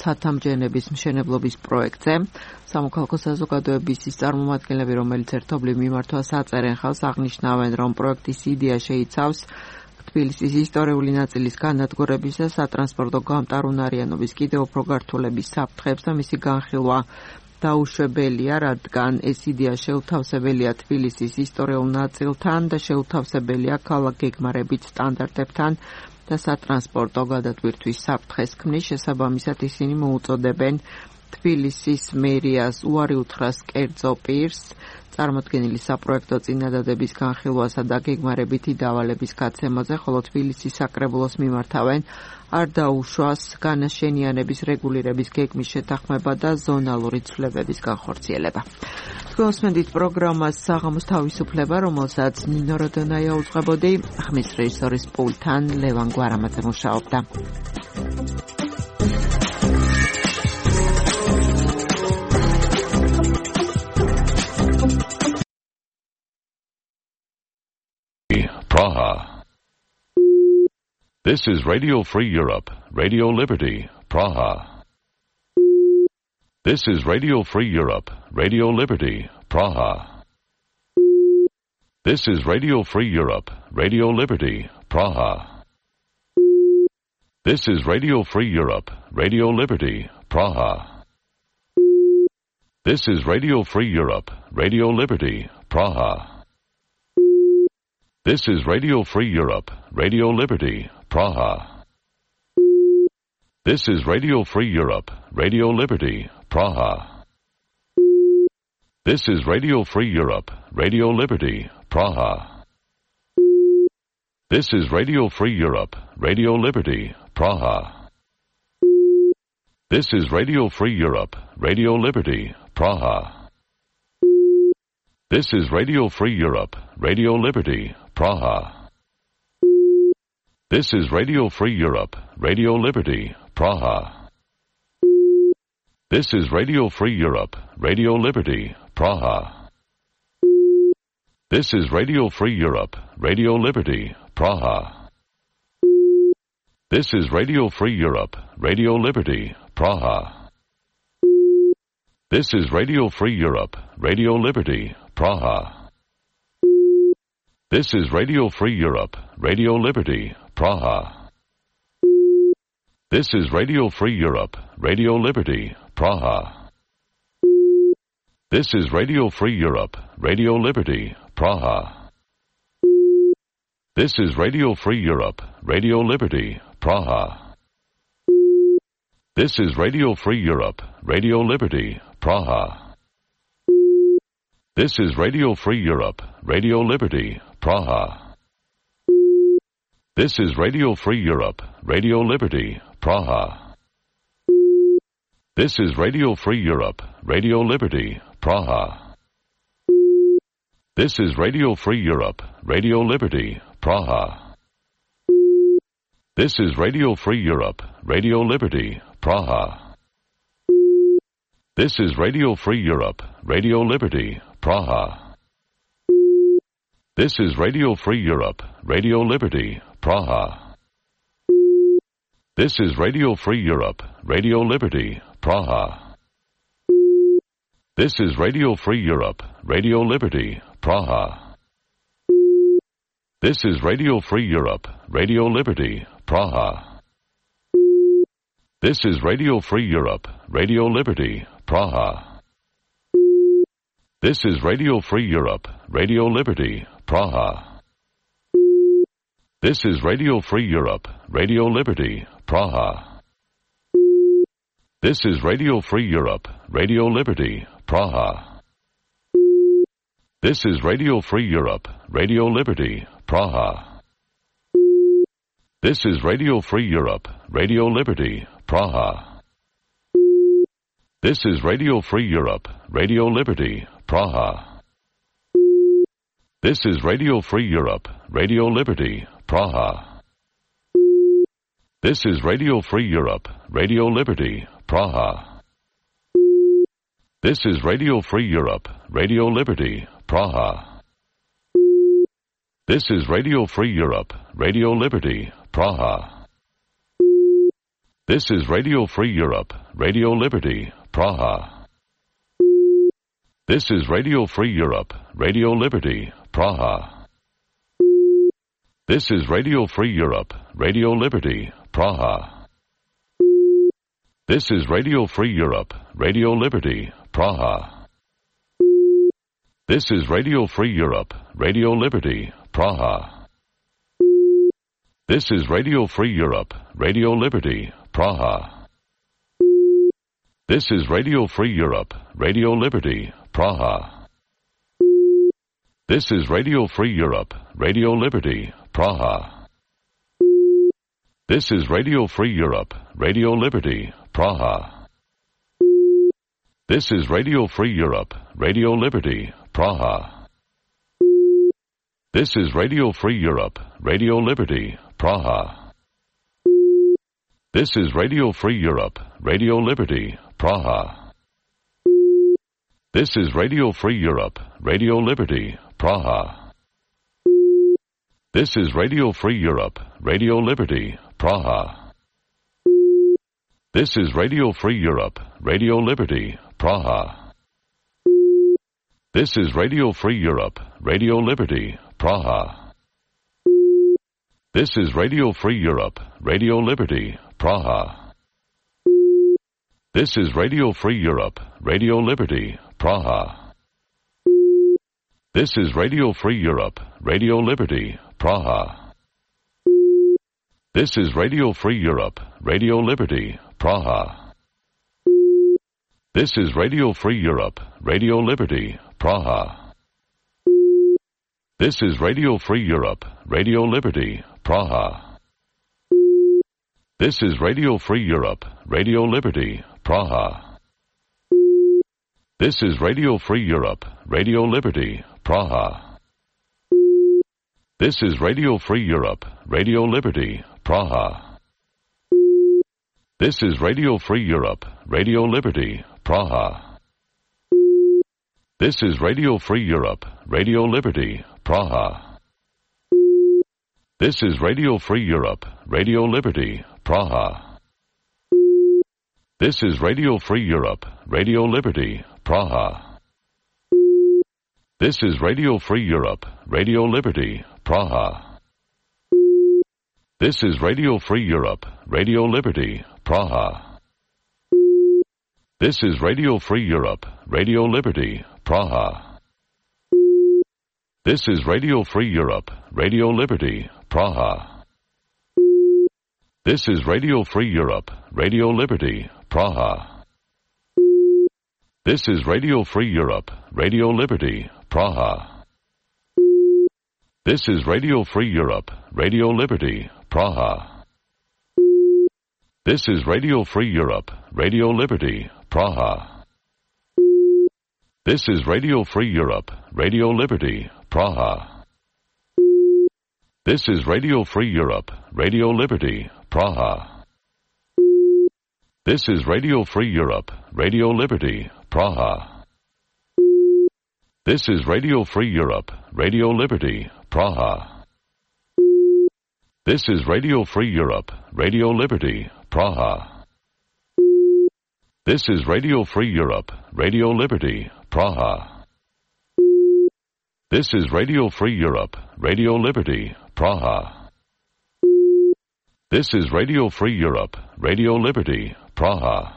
Speaker 1: ცათამჯენების მშენებლობის პროექტზე. სამოქალაქო საზოგადოების ის წარმომადგენლები, რომელიც ერთობლივ მიმართვას აწერენ ხალხს, აღნიშნავენ, რომ პროექტის იდეა შეიცავს თბილისის ისტორიული ნაწილის განადგურების და სატრანსპორტო გამტარუნარიანობის კიდევ უფრო გართულების საფრთხებს და მისი განხილვა დაუშვებელია, რადგან ეს იდეა შეუთავსებელია თბილისის ისტორიულ ნაწილთან და შეუთავსებელია ქალაქ გეგმარებით სტანდარტებთან და სატრანსპორტო გადატვირთვის საფრთხეს ქმნის. შესაბამისად ისინი მოუწოდებენ თბილისის მერიას უარი უთხრას კერძო პირს წარმოდგენილი საპროექტო წინადადების განხილვასა და გეგმარებითი დავალების გაცემაზე, ხოლო თბილისის საკრებულოს მიმართავენ არ დაუშვას განაშენიანების რეგულირების გეგმის შეთანხმება და ზონალური ცვლილებების განხორციელება. Twosmendit პროგრამას საღამოს თავისუფლება, რომელსაც ნინო როდონაია უძღვებოდი, ხმის რეჟისორის პულტთან ლევან გვარამაძე მუშაობდა.
Speaker 18: Praha. This is Radio Free Europe, Radio Liberty, Praha. This is Radio Free Europe, Radio Liberty, Praha. This is Radio Free Europe, Radio Liberty, Praha. This is Radio Free Europe, Radio Liberty, Praha. This is Radio Free Europe, Radio Liberty, Praha. This is Radio Free Europe, Radio Liberty, Praha. This is Radio Free Europe, Radio Liberty, Praha. This is Radio Free Europe, Radio Liberty, Praha. This is Radio Free Europe, Radio Liberty, Praha. This is Radio Free Europe, Radio Liberty, Praha. This is Radio Free Europe, Radio Liberty, Praha. This is Radio Free Europe, Radio Liberty, Praha. This is Radio Free Europe, Radio Liberty, Praha. This is Radio Free Europe, Radio Liberty, Praha. This is Radio Free Europe, Radio Liberty, Praha. This is Radio Free Europe, Radio Liberty, Praha. This is Radio Free Europe, Radio Liberty, Praha. This is Radio Free Europe, Radio Liberty, Praha. This is Radio Free Europe, Radio Liberty, Praha. This is Radio Free Europe, Radio Liberty, Praha. This is Radio Free Europe, Radio Liberty, Praha. This is Radio Free Europe, Radio Liberty, Praha. This is Radio Free Europe, Radio Liberty, Praha. This is Radio Free Europe, Radio Liberty, Praha. This is Radio Free Europe, Radio Liberty, Praha. This is Radio Free Europe, Radio Liberty, Praha. This is Radio Free Europe, Radio Liberty, Praha. This is Radio Free Europe, Radio Liberty, Praha. This is Radio Free Europe, Radio Liberty, Praha. This is Radio Free Europe, Radio Liberty, Praha. This is Radio Free Europe, Radio Liberty, Praha. This is Radio Free Europe, Radio Liberty, Praha. This is Radio Free Europe, Radio Liberty, Praha. This is Radio Free Europe, Radio Liberty, Praha. This is Radio Free Europe, Radio Liberty, Praha. This is Radio Free Europe, Radio Liberty, Praha. This is Radio Free Europe, Radio Liberty, Praha. This is Radio Free Europe, Radio Liberty, Praha. This is Radio Free Europe, Radio Liberty, Praha. This is Radio Free Europe, Radio Liberty, Praha. This is Radio Free Europe, Radio Liberty, Praha. This is Radio Free Europe, Radio Liberty, Praha. This is Radio Free Europe, Radio Liberty, Praha. This is Radio Free Europe, Radio Liberty, Praha. This is Radio Free Europe, Radio Liberty, Praha. This is Radio Free Europe, Radio Liberty, Praha. This is Radio Free Europe, Radio Liberty, Praha. This is Radio Free Europe, Radio Liberty, Praha. This is Radio Free Europe, Radio Liberty, Praha. This is Radio Free Europe, Radio Liberty, Praha. This is Radio Free Europe, Radio Liberty, Praha. This is Radio Free Europe, Radio Liberty, Praha. This is Radio Free Europe, Radio Liberty, Praha. This is Radio Free Europe, Radio Liberty, Praha. This is Radio Free Europe, Radio Liberty, Praha. This is Radio Free Europe, Radio Liberty, Praha. This is Radio Free Europe, Radio Liberty, Praha. This is Radio Free Europe, Radio Liberty, Praha. This is Radio Free Europe, Radio Liberty, Praha. This is Radio Free Europe, Radio Liberty, Praha. This is Radio Free Europe, Radio Liberty, Praha. This is Radio Free Europe, Radio Liberty, Praha. This is Radio Free Europe, Radio Liberty, Praha. This is Radio Free Europe, Radio Liberty, Praha. This is Radio Free Europe, Radio Liberty, Praha. This is Radio Free Europe, Radio Liberty, Praha. This is Radio Free Europe, Radio Liberty, Praha. This is Radio Free Europe, Radio Liberty, Praha. This is Radio Free Europe, Radio Liberty, Praha. This is Radio Free Europe, Radio Liberty, Praha. This is Radio Free Europe, Radio Liberty, Praha. This is Radio Free Europe, Radio Liberty, Praha. This is Radio Free Europe, Radio Liberty, Praha. This is Radio Free Europe, Radio Liberty, Praha. This is Radio Free Europe, Radio Liberty, Praha. This is Radio Free Europe, Radio Liberty, Praha. This is Radio Free Europe, Radio Liberty, Praha. This is Radio Free Europe, Radio Liberty, Praha. This is Radio Free Europe, Radio Liberty, Praha. This is Radio Free Europe, Radio Liberty, Praha. This is Radio Free Europe, Radio Liberty, Praha. This is Radio Free Europe, Radio Liberty, Praha. This is Radio Free Europe, Radio Liberty, Praha. This is Radio Free Europe, Radio Liberty, Praha. This is Radio Free Europe, Radio Liberty, Praha. This is Radio Free Europe, Radio Liberty, Praha. This is Radio Free Europe, Radio Liberty, Praha.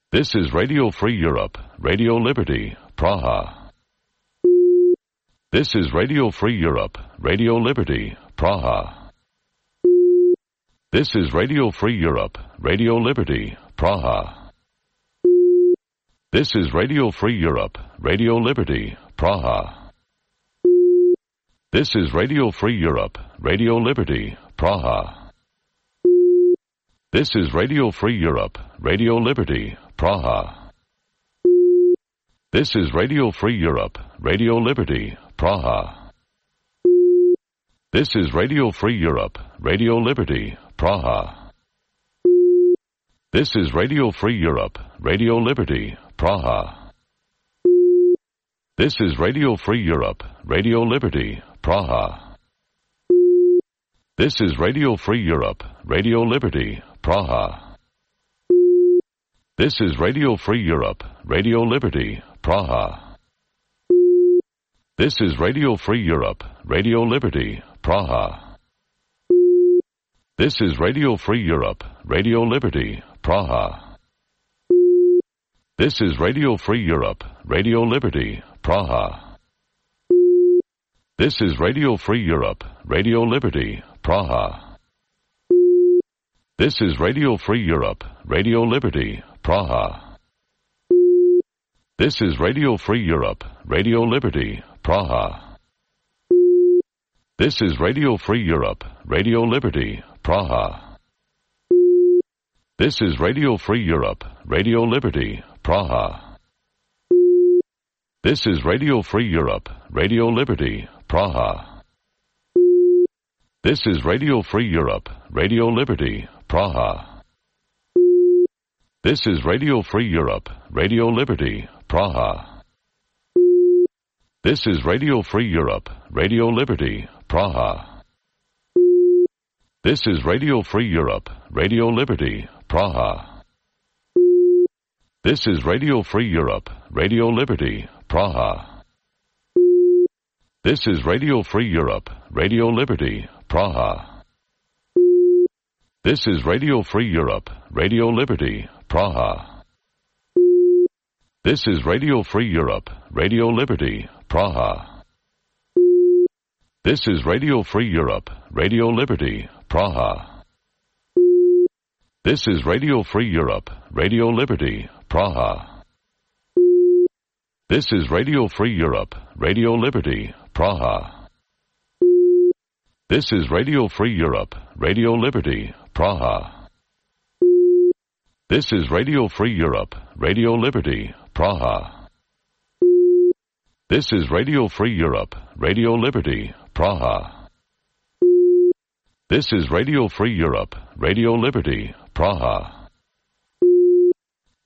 Speaker 18: This is Radio Free Europe, Radio Liberty, Praha. This is Radio Free Europe, Radio Liberty, Praha. This is Radio Free Europe, Radio Liberty, Praha. This is Radio Free Europe, Radio Liberty, Praha. This is Radio Free Europe, Radio Liberty, Praha. This is Radio Free Europe, Radio Liberty, Praha. This is Radio Free Europe, Radio Liberty, Praha. This is Radio Free Europe, Radio Liberty, Praha. This is Radio Free Europe, Radio Liberty, Praha. This is Radio Free Europe, Radio Liberty, Praha. This is Radio Free Europe, Radio Liberty, Praha. This is Radio Free Europe, Radio Liberty, Praha. This is Radio Free Europe, Radio Liberty, Praha. This is Radio Free Europe, Radio Liberty, Praha. This is Radio Free Europe, Radio Liberty, Praha. This is Radio Free Europe, Radio Liberty, Praha. This is Radio Free Europe, Radio Liberty, Praha. This is Radio Free Europe, Radio Liberty, Praha. This is Radio Free Europe, Radio Liberty, Praha. This is Radio Free Europe, Radio Liberty, Praha. This is Radio Free Europe, Radio Liberty, Praha. This is Radio Free Europe, Radio Liberty, Praha. This is Radio Free Europe, Radio Liberty, Praha. This is Radio Free Europe, Radio Liberty, Praha. This is Radio Free Europe, Radio Liberty, Praha. This is Radio Free Europe, Radio Liberty, Praha. This is Radio Free Europe, Radio Liberty, Praha. This is Radio Free Europe, Radio Liberty, Praha. This is Radio Free Europe, Radio Liberty, Praha. This is Radio Free Europe, Radio Liberty, Praha. This is Radio Free Europe, Radio Liberty, Praha. This is Radio Free Europe, Radio Liberty, Praha. This is Radio Free Europe, Radio Liberty, Praha. This is Radio Free Europe, Radio Liberty, Praha. This is Radio Free Europe, Radio Liberty, Praha. This is Radio Free Europe, Radio Liberty, Praha.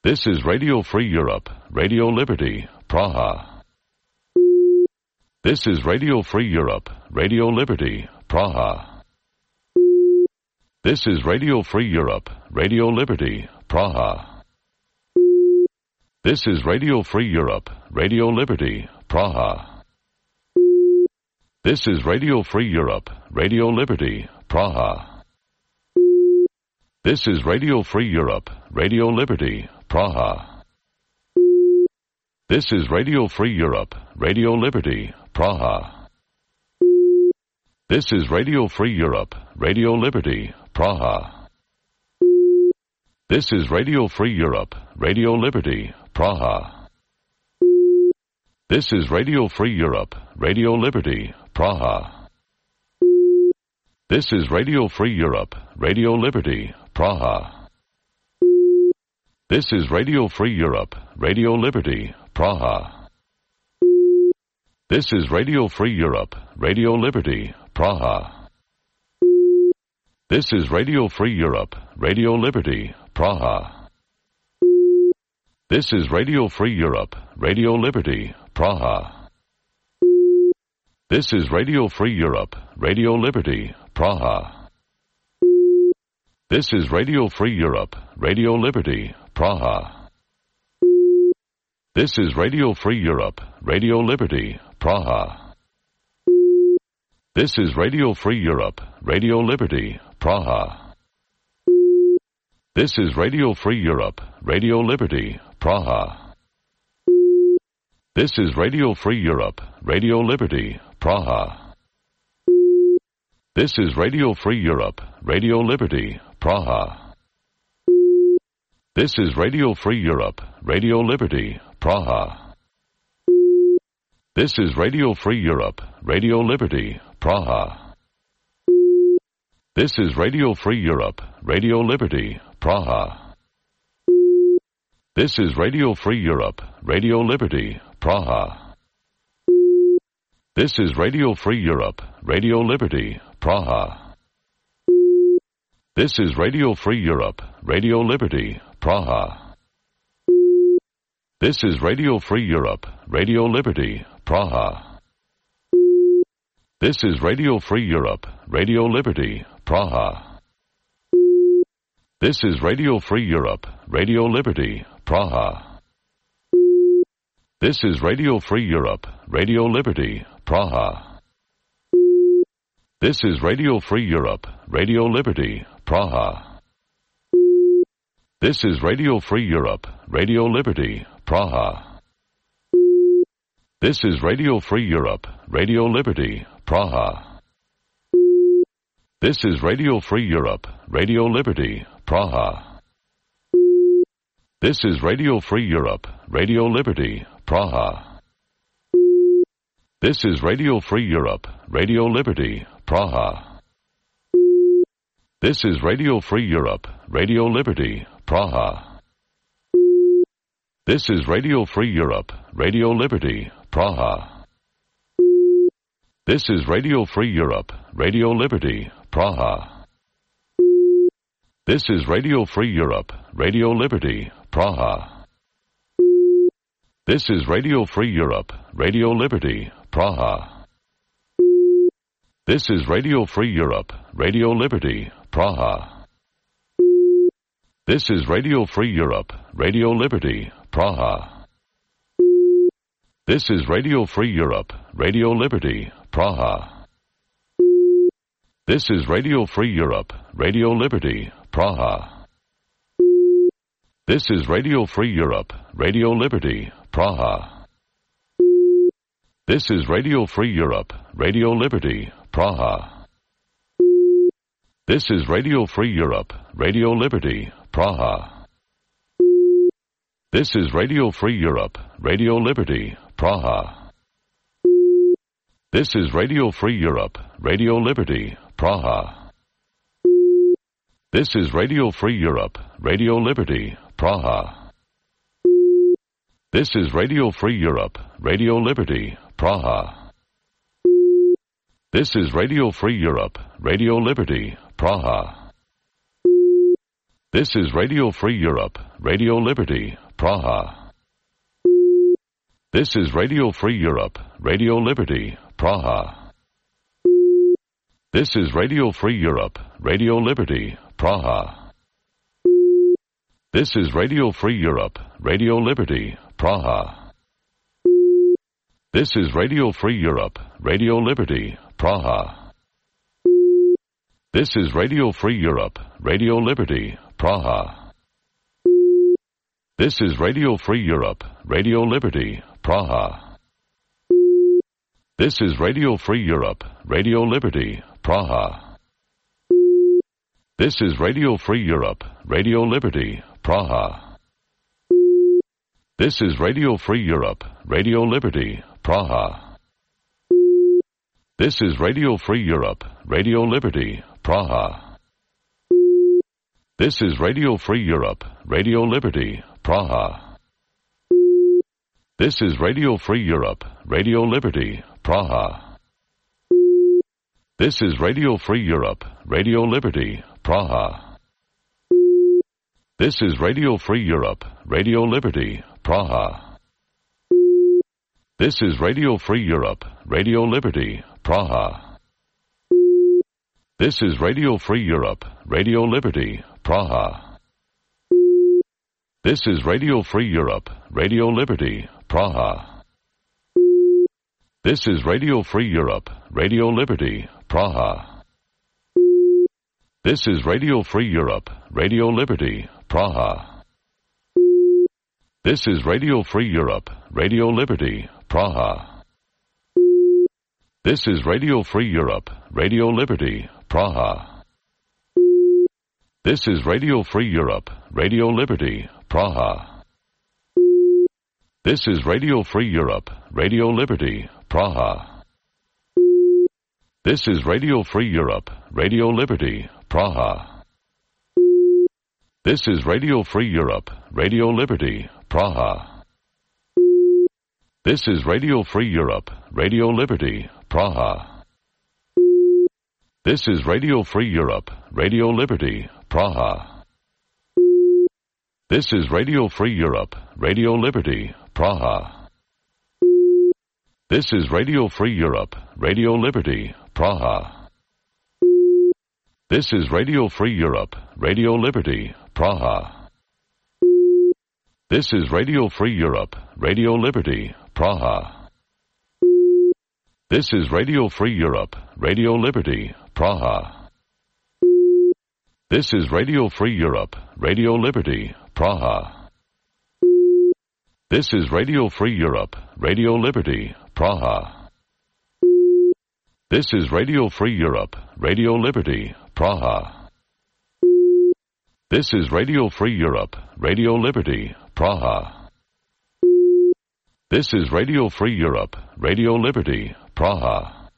Speaker 18: This is Radio Free Europe, Radio Liberty, Praha. This is Radio Free Europe, Radio Liberty, Praha. This is Radio Free Europe, Radio Liberty, Praha. This is Radio Free Europe, Radio Liberty, Praha. This is Radio Free Europe, Radio Liberty, Praha. This is Radio Free Europe, Radio Liberty, Praha. This is Radio Free Europe, Radio Liberty, Praha. This is Radio Free Europe, Radio Liberty, Praha. This is Radio Free Europe, Radio Liberty, Praha. This is Radio Free Europe, Radio Liberty, Praha. This is Radio Free Europe, Radio Liberty, Praha. This is Radio Free Europe, Radio Liberty, Praha. This is Radio Free Europe, Radio Liberty, Praha. This is Radio Free Europe, Radio Liberty, Praha. This is Radio Free Europe, Radio Liberty, Praha. This is Radio Free Europe, Radio Liberty, Praha. This is Radio Free Europe, Radio Liberty, Praha. This is Radio Free Europe, Radio Liberty, Praha. This is Radio Free Europe, Radio Liberty, Praha. This is Radio Free Europe, Radio Liberty, Praha. This is Radio Free Europe, Radio Liberty, Praha. This is Radio Free Europe, Radio Liberty, Praha. This is Radio Free Europe, Radio Liberty, Praha. This is Radio Free Europe, Radio Liberty, Praha. This is Radio Free Europe, Radio Liberty, Praha. This is Radio Free Europe, Radio Liberty, Praha. This is Radio Free Europe, Radio Liberty, Praha. This is Radio Free Europe, Radio Liberty, Praha. This is Radio Free Europe, Radio Liberty, Praha. This is Radio Free Europe, Radio Liberty, Praha. This is Radio Free Europe, Radio Liberty, Praha. This is Radio Free Europe, Radio Liberty, Praha. This is Radio Free Europe, Radio Liberty, Praha. This is Radio Free Europe, Radio Liberty, Praha. This is Radio Free Europe, Radio Liberty, Praha. This is Radio Free Europe, Radio Liberty, Praha. This is Radio Free Europe, Radio Liberty, Praha. This is Radio Free Europe, Radio Liberty, Praha. This is Radio Free Europe, Radio Liberty, Praha. This is Radio Free Europe, Radio Liberty, Praha. This is Radio Free Europe, Radio Liberty, Praha. This is Radio Free Europe, Radio Liberty, Praha. This is Radio Free Europe, Radio Liberty, Praha. This is Radio Free Europe, Radio Liberty, Praha. This is Radio Free Europe, Radio Liberty, Praha. This is Radio Free Europe, Radio Liberty, Praha. This is Radio Free Europe, Radio Liberty, Praha. This is Radio Free Europe, Radio Liberty, Praha. This is Radio Free Europe, Radio Liberty, Praha. This is Radio Free Europe, Radio Liberty, Praha. This is Radio Free Europe, Radio Liberty, Praha. This is Radio Free Europe, Radio Liberty, Praha. This is Radio Free Europe, Radio Liberty, Praha. This is Radio Free Europe, Radio Liberty, Praha. This is Radio Free Europe, Radio Liberty, Praha. This is Radio Free Europe, Radio Liberty, Praha. This is Radio Free Europe, Radio Liberty, Praha. This is Radio Free Europe, Radio Liberty, Praha. This is Radio Free Europe, Radio Liberty, Praha. This is Radio Free Europe, Radio Liberty, Praha. This is Radio Free Europe, Radio Liberty, Praha. This is Radio Free Europe, Radio Liberty, Praha. This is Radio Free Europe, Radio Liberty, Praha. This is Radio Free Europe, Radio Liberty, Praha. This is Radio Free Europe, Radio Liberty, Praha. This is Radio Free Europe, Radio Liberty, Praha. This is Radio Free Europe, Radio Liberty, Praha. This is Radio Free Europe, Radio Liberty, Praha. This is Radio Free Europe, Radio Liberty, Praha. This is Radio Free Europe, Radio Liberty, Praha. This is Radio Free Europe, Radio Liberty, Praha. This is Radio Free Europe, Radio Liberty, Praha. This is Radio Free Europe, Radio Liberty, Praha. This is Radio Free Europe, Radio Liberty, Praha. This is Radio Free Europe, Radio Liberty, Praha. This is Radio Free Europe, Radio Liberty, Praha. This is Radio Free Europe, Radio Liberty, Praha. This is Radio Free Europe, Radio Liberty, Praha. This is Radio Free Europe, Radio Liberty, Praha. This is Radio Free Europe, Radio Liberty, Praha. This is Radio Free Europe, Radio Liberty, Praha. This is Radio Free Europe, Radio Liberty, Praha. This is Radio Free Europe, Radio Liberty, Praha. This is Radio Free Europe, Radio Liberty, Praha. This is Radio Free Europe, Radio Liberty, Praha. This is Radio Free Europe, Radio Liberty, Praha. This is Radio Free Europe, Radio Liberty, Praha. This is Radio Free Europe, Radio Liberty, Praha. This is Radio Free Europe, Radio Liberty, Praha. This is Radio Free Europe, Radio Liberty, Praha. This is Radio Free Europe, Radio Liberty, Praha. This is Radio Free Europe, Radio Liberty, Praha. This is Radio Free Europe, Radio Liberty, Praha.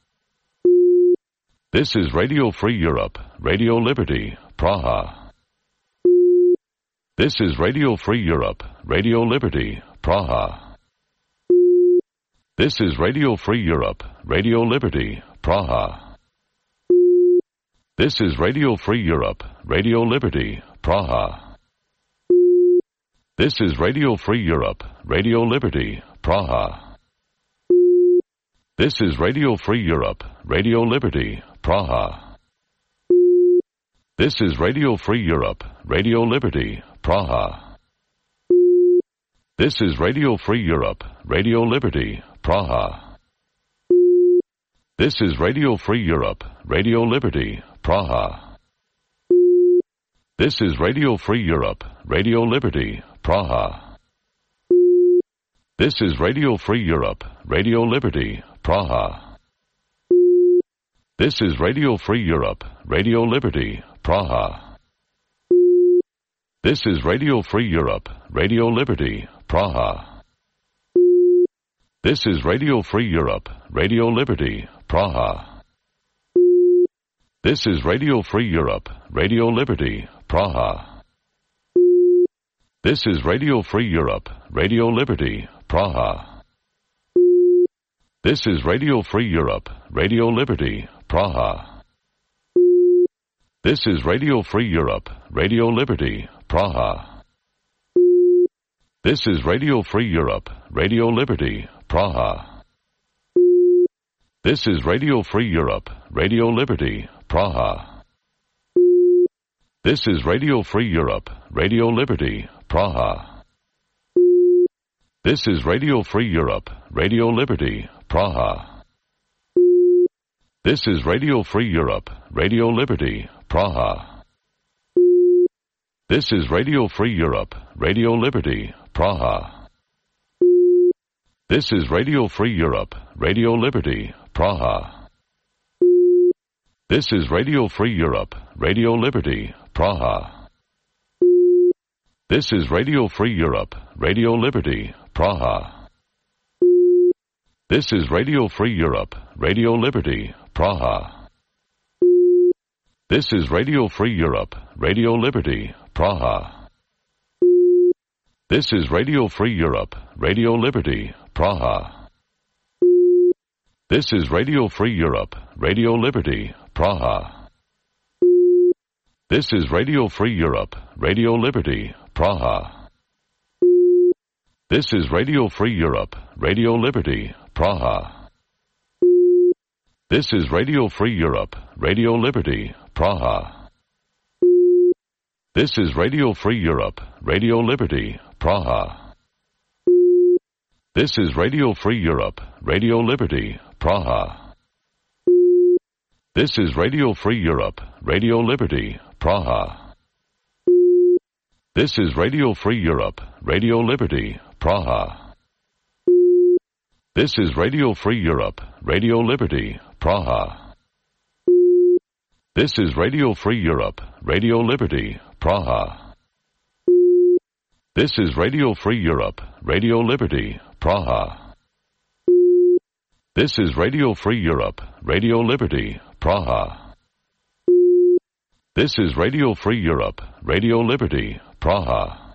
Speaker 18: This is Radio Free Europe, Radio Liberty, Praha. This is Radio Free Europe, Radio Liberty, Praha. This is Radio Free Europe, Radio Liberty, Praha. This is Radio Free Europe, Radio Liberty, Praha. This is Radio Free Europe, Radio Liberty, Praha. This is Radio Free Europe, Radio Liberty, Praha. This is Radio Free Europe, Radio Liberty, Praha. This is Radio Free Europe, Radio Liberty, Praha. This is Radio Free Europe, Radio Liberty, Praha. This is Radio Free Europe, Radio Liberty, Praha. This is Radio Free Europe, Radio Liberty, Praha. This is Radio Free Europe, Radio Liberty, Praha. This is Radio Free Europe, Radio Liberty, Praha. This is Radio Free Europe, Radio Liberty, Praha. This is Radio Free Europe, Radio Liberty, Praha. This is Radio Free Europe, Radio Liberty, Praha. This is Radio Free Europe, Radio Liberty, Praha. This is Radio Free Europe, Radio Liberty, Praha. This is Radio Free Europe, Radio Liberty, Praha. This is Radio Free Europe, Radio Liberty, Praha. This is Radio Free Europe, Radio Liberty, Praha. This is Radio Free Europe, Radio Liberty, Praha. This is Radio Free Europe, Radio Liberty, Praha. This is Radio Free Europe, Radio Liberty, Praha. This is Radio Free Europe, Radio Liberty, Praha. This is Radio Free Europe, Radio Liberty, Praha. This is Radio Free Europe, Radio Liberty, Praha. This is Radio Free Europe, Radio Liberty, Praha. This is Radio Free Europe, Radio Liberty, Praha. This is Radio Free Europe, Radio Liberty, Praha. This is Radio Free Europe, Radio Liberty, Praha. This is Radio Free Europe, Radio Liberty, Praha. This is Radio Free Europe, Radio Liberty, Praha. This is Radio Free Europe, Radio Liberty, Praha. This is Radio Free Europe, Radio Liberty, Praha. This is Radio Free Europe, Radio Liberty, Praha. This is Radio Free Europe, Radio Liberty, Praha. This is Radio Free Europe, Radio Liberty, Praha. This is Radio Free Europe, Radio Liberty, Praha. This is Radio Free Europe, Radio Liberty, Praha. This is Radio Free Europe, Radio Liberty, Praha. This is Radio Free Europe, Radio Liberty, Praha. This is Radio Free Europe, Radio Liberty, Praha.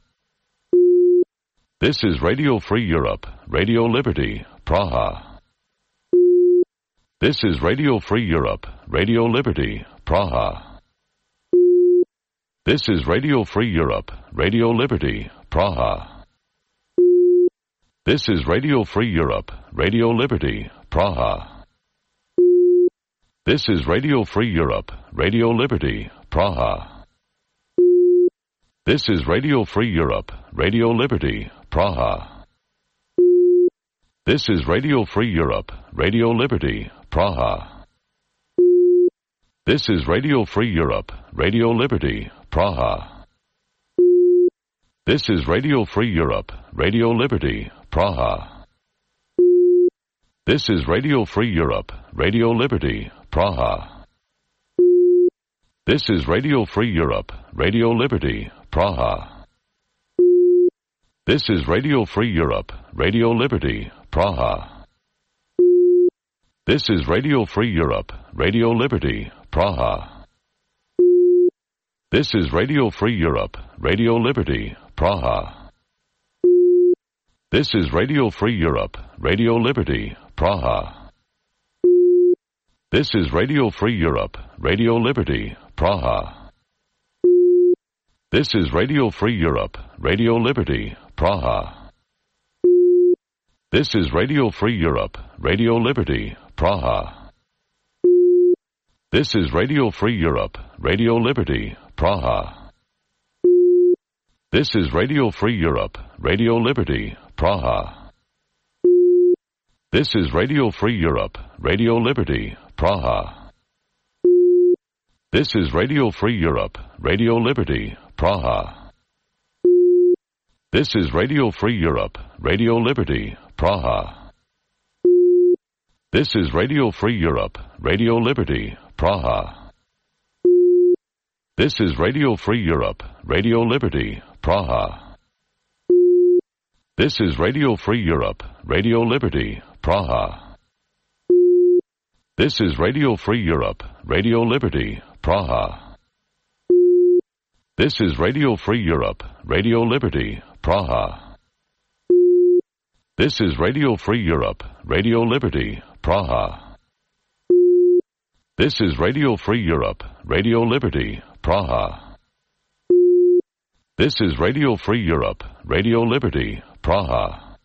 Speaker 18: This is Radio Free Europe, Radio Liberty, Praha. This is Radio Free Europe, Radio Liberty, Praha. This is Radio Free Europe, Radio Liberty, Praha. This is Radio Free Europe, Radio Liberty, Praha. This is Radio Free Europe, Radio Liberty, Praha. This is Radio Free Europe, Radio Liberty, Praha. This is Radio Free Europe, Radio Liberty, Praha. This is Radio Free Europe, Radio Liberty, Praha. This is Radio Free Europe, Radio Liberty, Praha. This is Radio Free Europe, Radio Liberty, Praha. This is Radio Free Europe, Radio Liberty, Praha. This is Radio Free Europe, Radio Liberty, Praha. This is Radio Free Europe, Radio Liberty, Praha. This is Radio Free Europe, Radio Liberty, Praha. This is Radio Free Europe, Radio Liberty, Praha. This is Radio Free Europe, Radio Liberty, Praha. This is Radio Free Europe, Radio Liberty, Praha. This is Radio Free Europe, Radio Liberty, Praha. This is Radio Free Europe, Radio Liberty, Praha. This is Radio Free Europe, Radio Liberty, Praha. This is Radio Free Europe, Radio Liberty, Praha. This is Radio Free Europe, Radio Liberty, Praha. This is Radio Free Europe, Radio Liberty, Praha. This is Radio Free Europe, Radio Liberty, Praha. This is Radio Free Europe, Radio Liberty, Praha. This is Radio Free Europe, Radio Liberty, Praha. This is Radio Free Europe, Radio Liberty, Praha. This is Radio Free Europe, Radio Liberty, Praha. This is Radio Free Europe, Radio Liberty, Praha. This is Radio Free Europe, Radio Liberty, Praha. This is Radio Free Europe, Radio Liberty, Praha.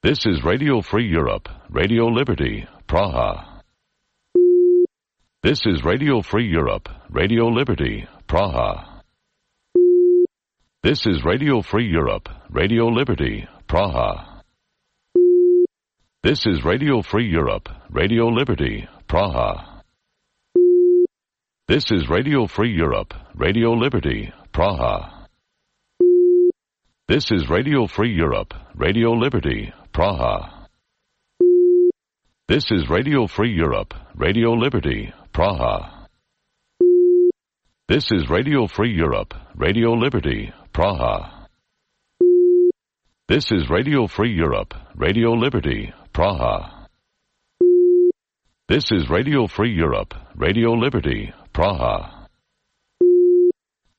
Speaker 18: This is Radio Free Europe, Radio Liberty, Praha. This is Radio Free Europe, Radio Liberty, Praha. This is Radio Free Europe, Radio Liberty, Praha. This is Radio Free Europe, Radio Liberty, Praha. This is Radio Free Europe, Radio Liberty, Praha. This is Radio Free Europe, Radio Liberty, Praha. This is Radio Free Europe, Radio Liberty, Praha. This is Radio Free Europe, Radio Liberty, Praha. This is Radio Free Europe, Radio Liberty, Praha. This is Radio Free Europe, Radio Liberty, Praha.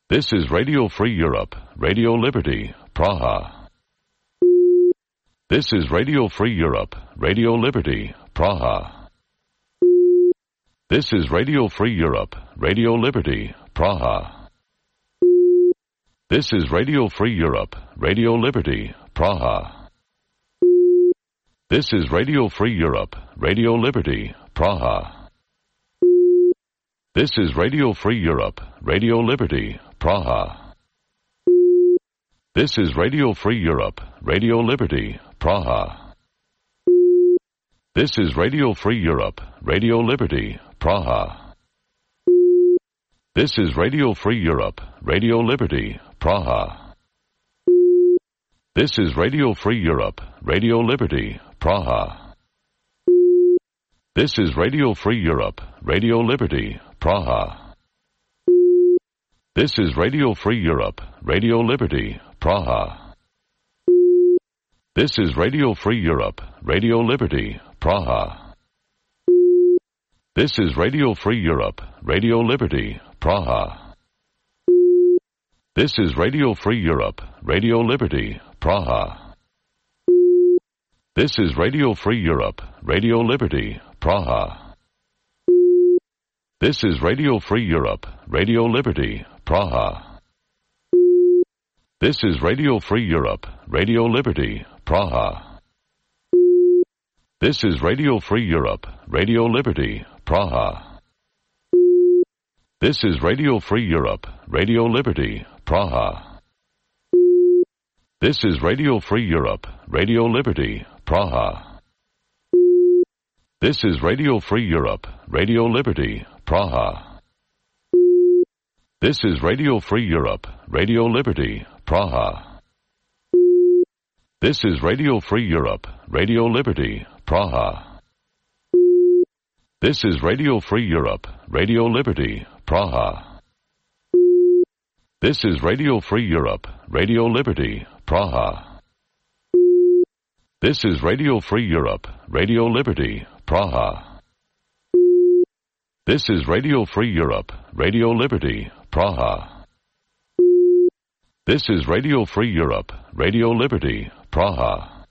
Speaker 18: This is Radio Free Europe, Radio Liberty, Praha. This is Radio Free Europe, Radio Liberty, Praha. This is Radio Free Europe, Radio Liberty, Praha. This is Radio Free Europe, Radio Liberty, Praha. This is Radio Free Europe, Radio Liberty, Praha. This is Radio Free Europe, Radio Liberty, Praha. This is Radio Free Europe, Radio Liberty, Praha. This is Radio Free Europe, Radio Liberty, Praha. This is Radio Free Europe, Radio Liberty, Praha. This is Radio Free Europe, Radio Liberty, Praha. This is Radio Free Europe, Radio Liberty, Praha. This is Radio Free Europe, Radio Liberty, Praha. This is Radio Free Europe, Radio Liberty, Praha. This is Radio Free Europe, Radio Liberty, Praha. This is Radio Free Europe, Radio Liberty, Praha. This is Radio Free Europe, Radio Liberty, Praha. This is Radio Free Europe, Radio Liberty, Praha. This is Radio Free Europe, Radio Liberty, Praha. This is Radio Free Europe, Radio Liberty, Praha. This is Radio Free Europe, Radio Liberty, Praha. This is Radio Free Europe, Radio Liberty, Praha. This is Radio Free Europe, Radio Liberty, Praha. This is Radio Free Europe, Radio Liberty, Praha. This is Radio Free Europe, Radio Liberty, Praha. This is Radio Free Europe, Radio Liberty, Praha. This is Radio Free Europe, Radio Liberty, Praha. This is Radio Free Europe, Radio Liberty, Praha. This is Radio Free Europe, Radio Liberty, Praha. This is Radio Free Europe, Radio Liberty, Praha.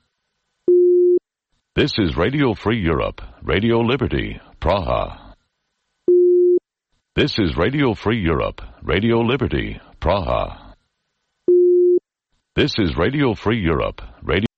Speaker 18: This is Radio Free Europe, Radio Liberty, Praha. This is Radio Free Europe, Radio Liberty, Praha. This is Radio Free Europe, Radio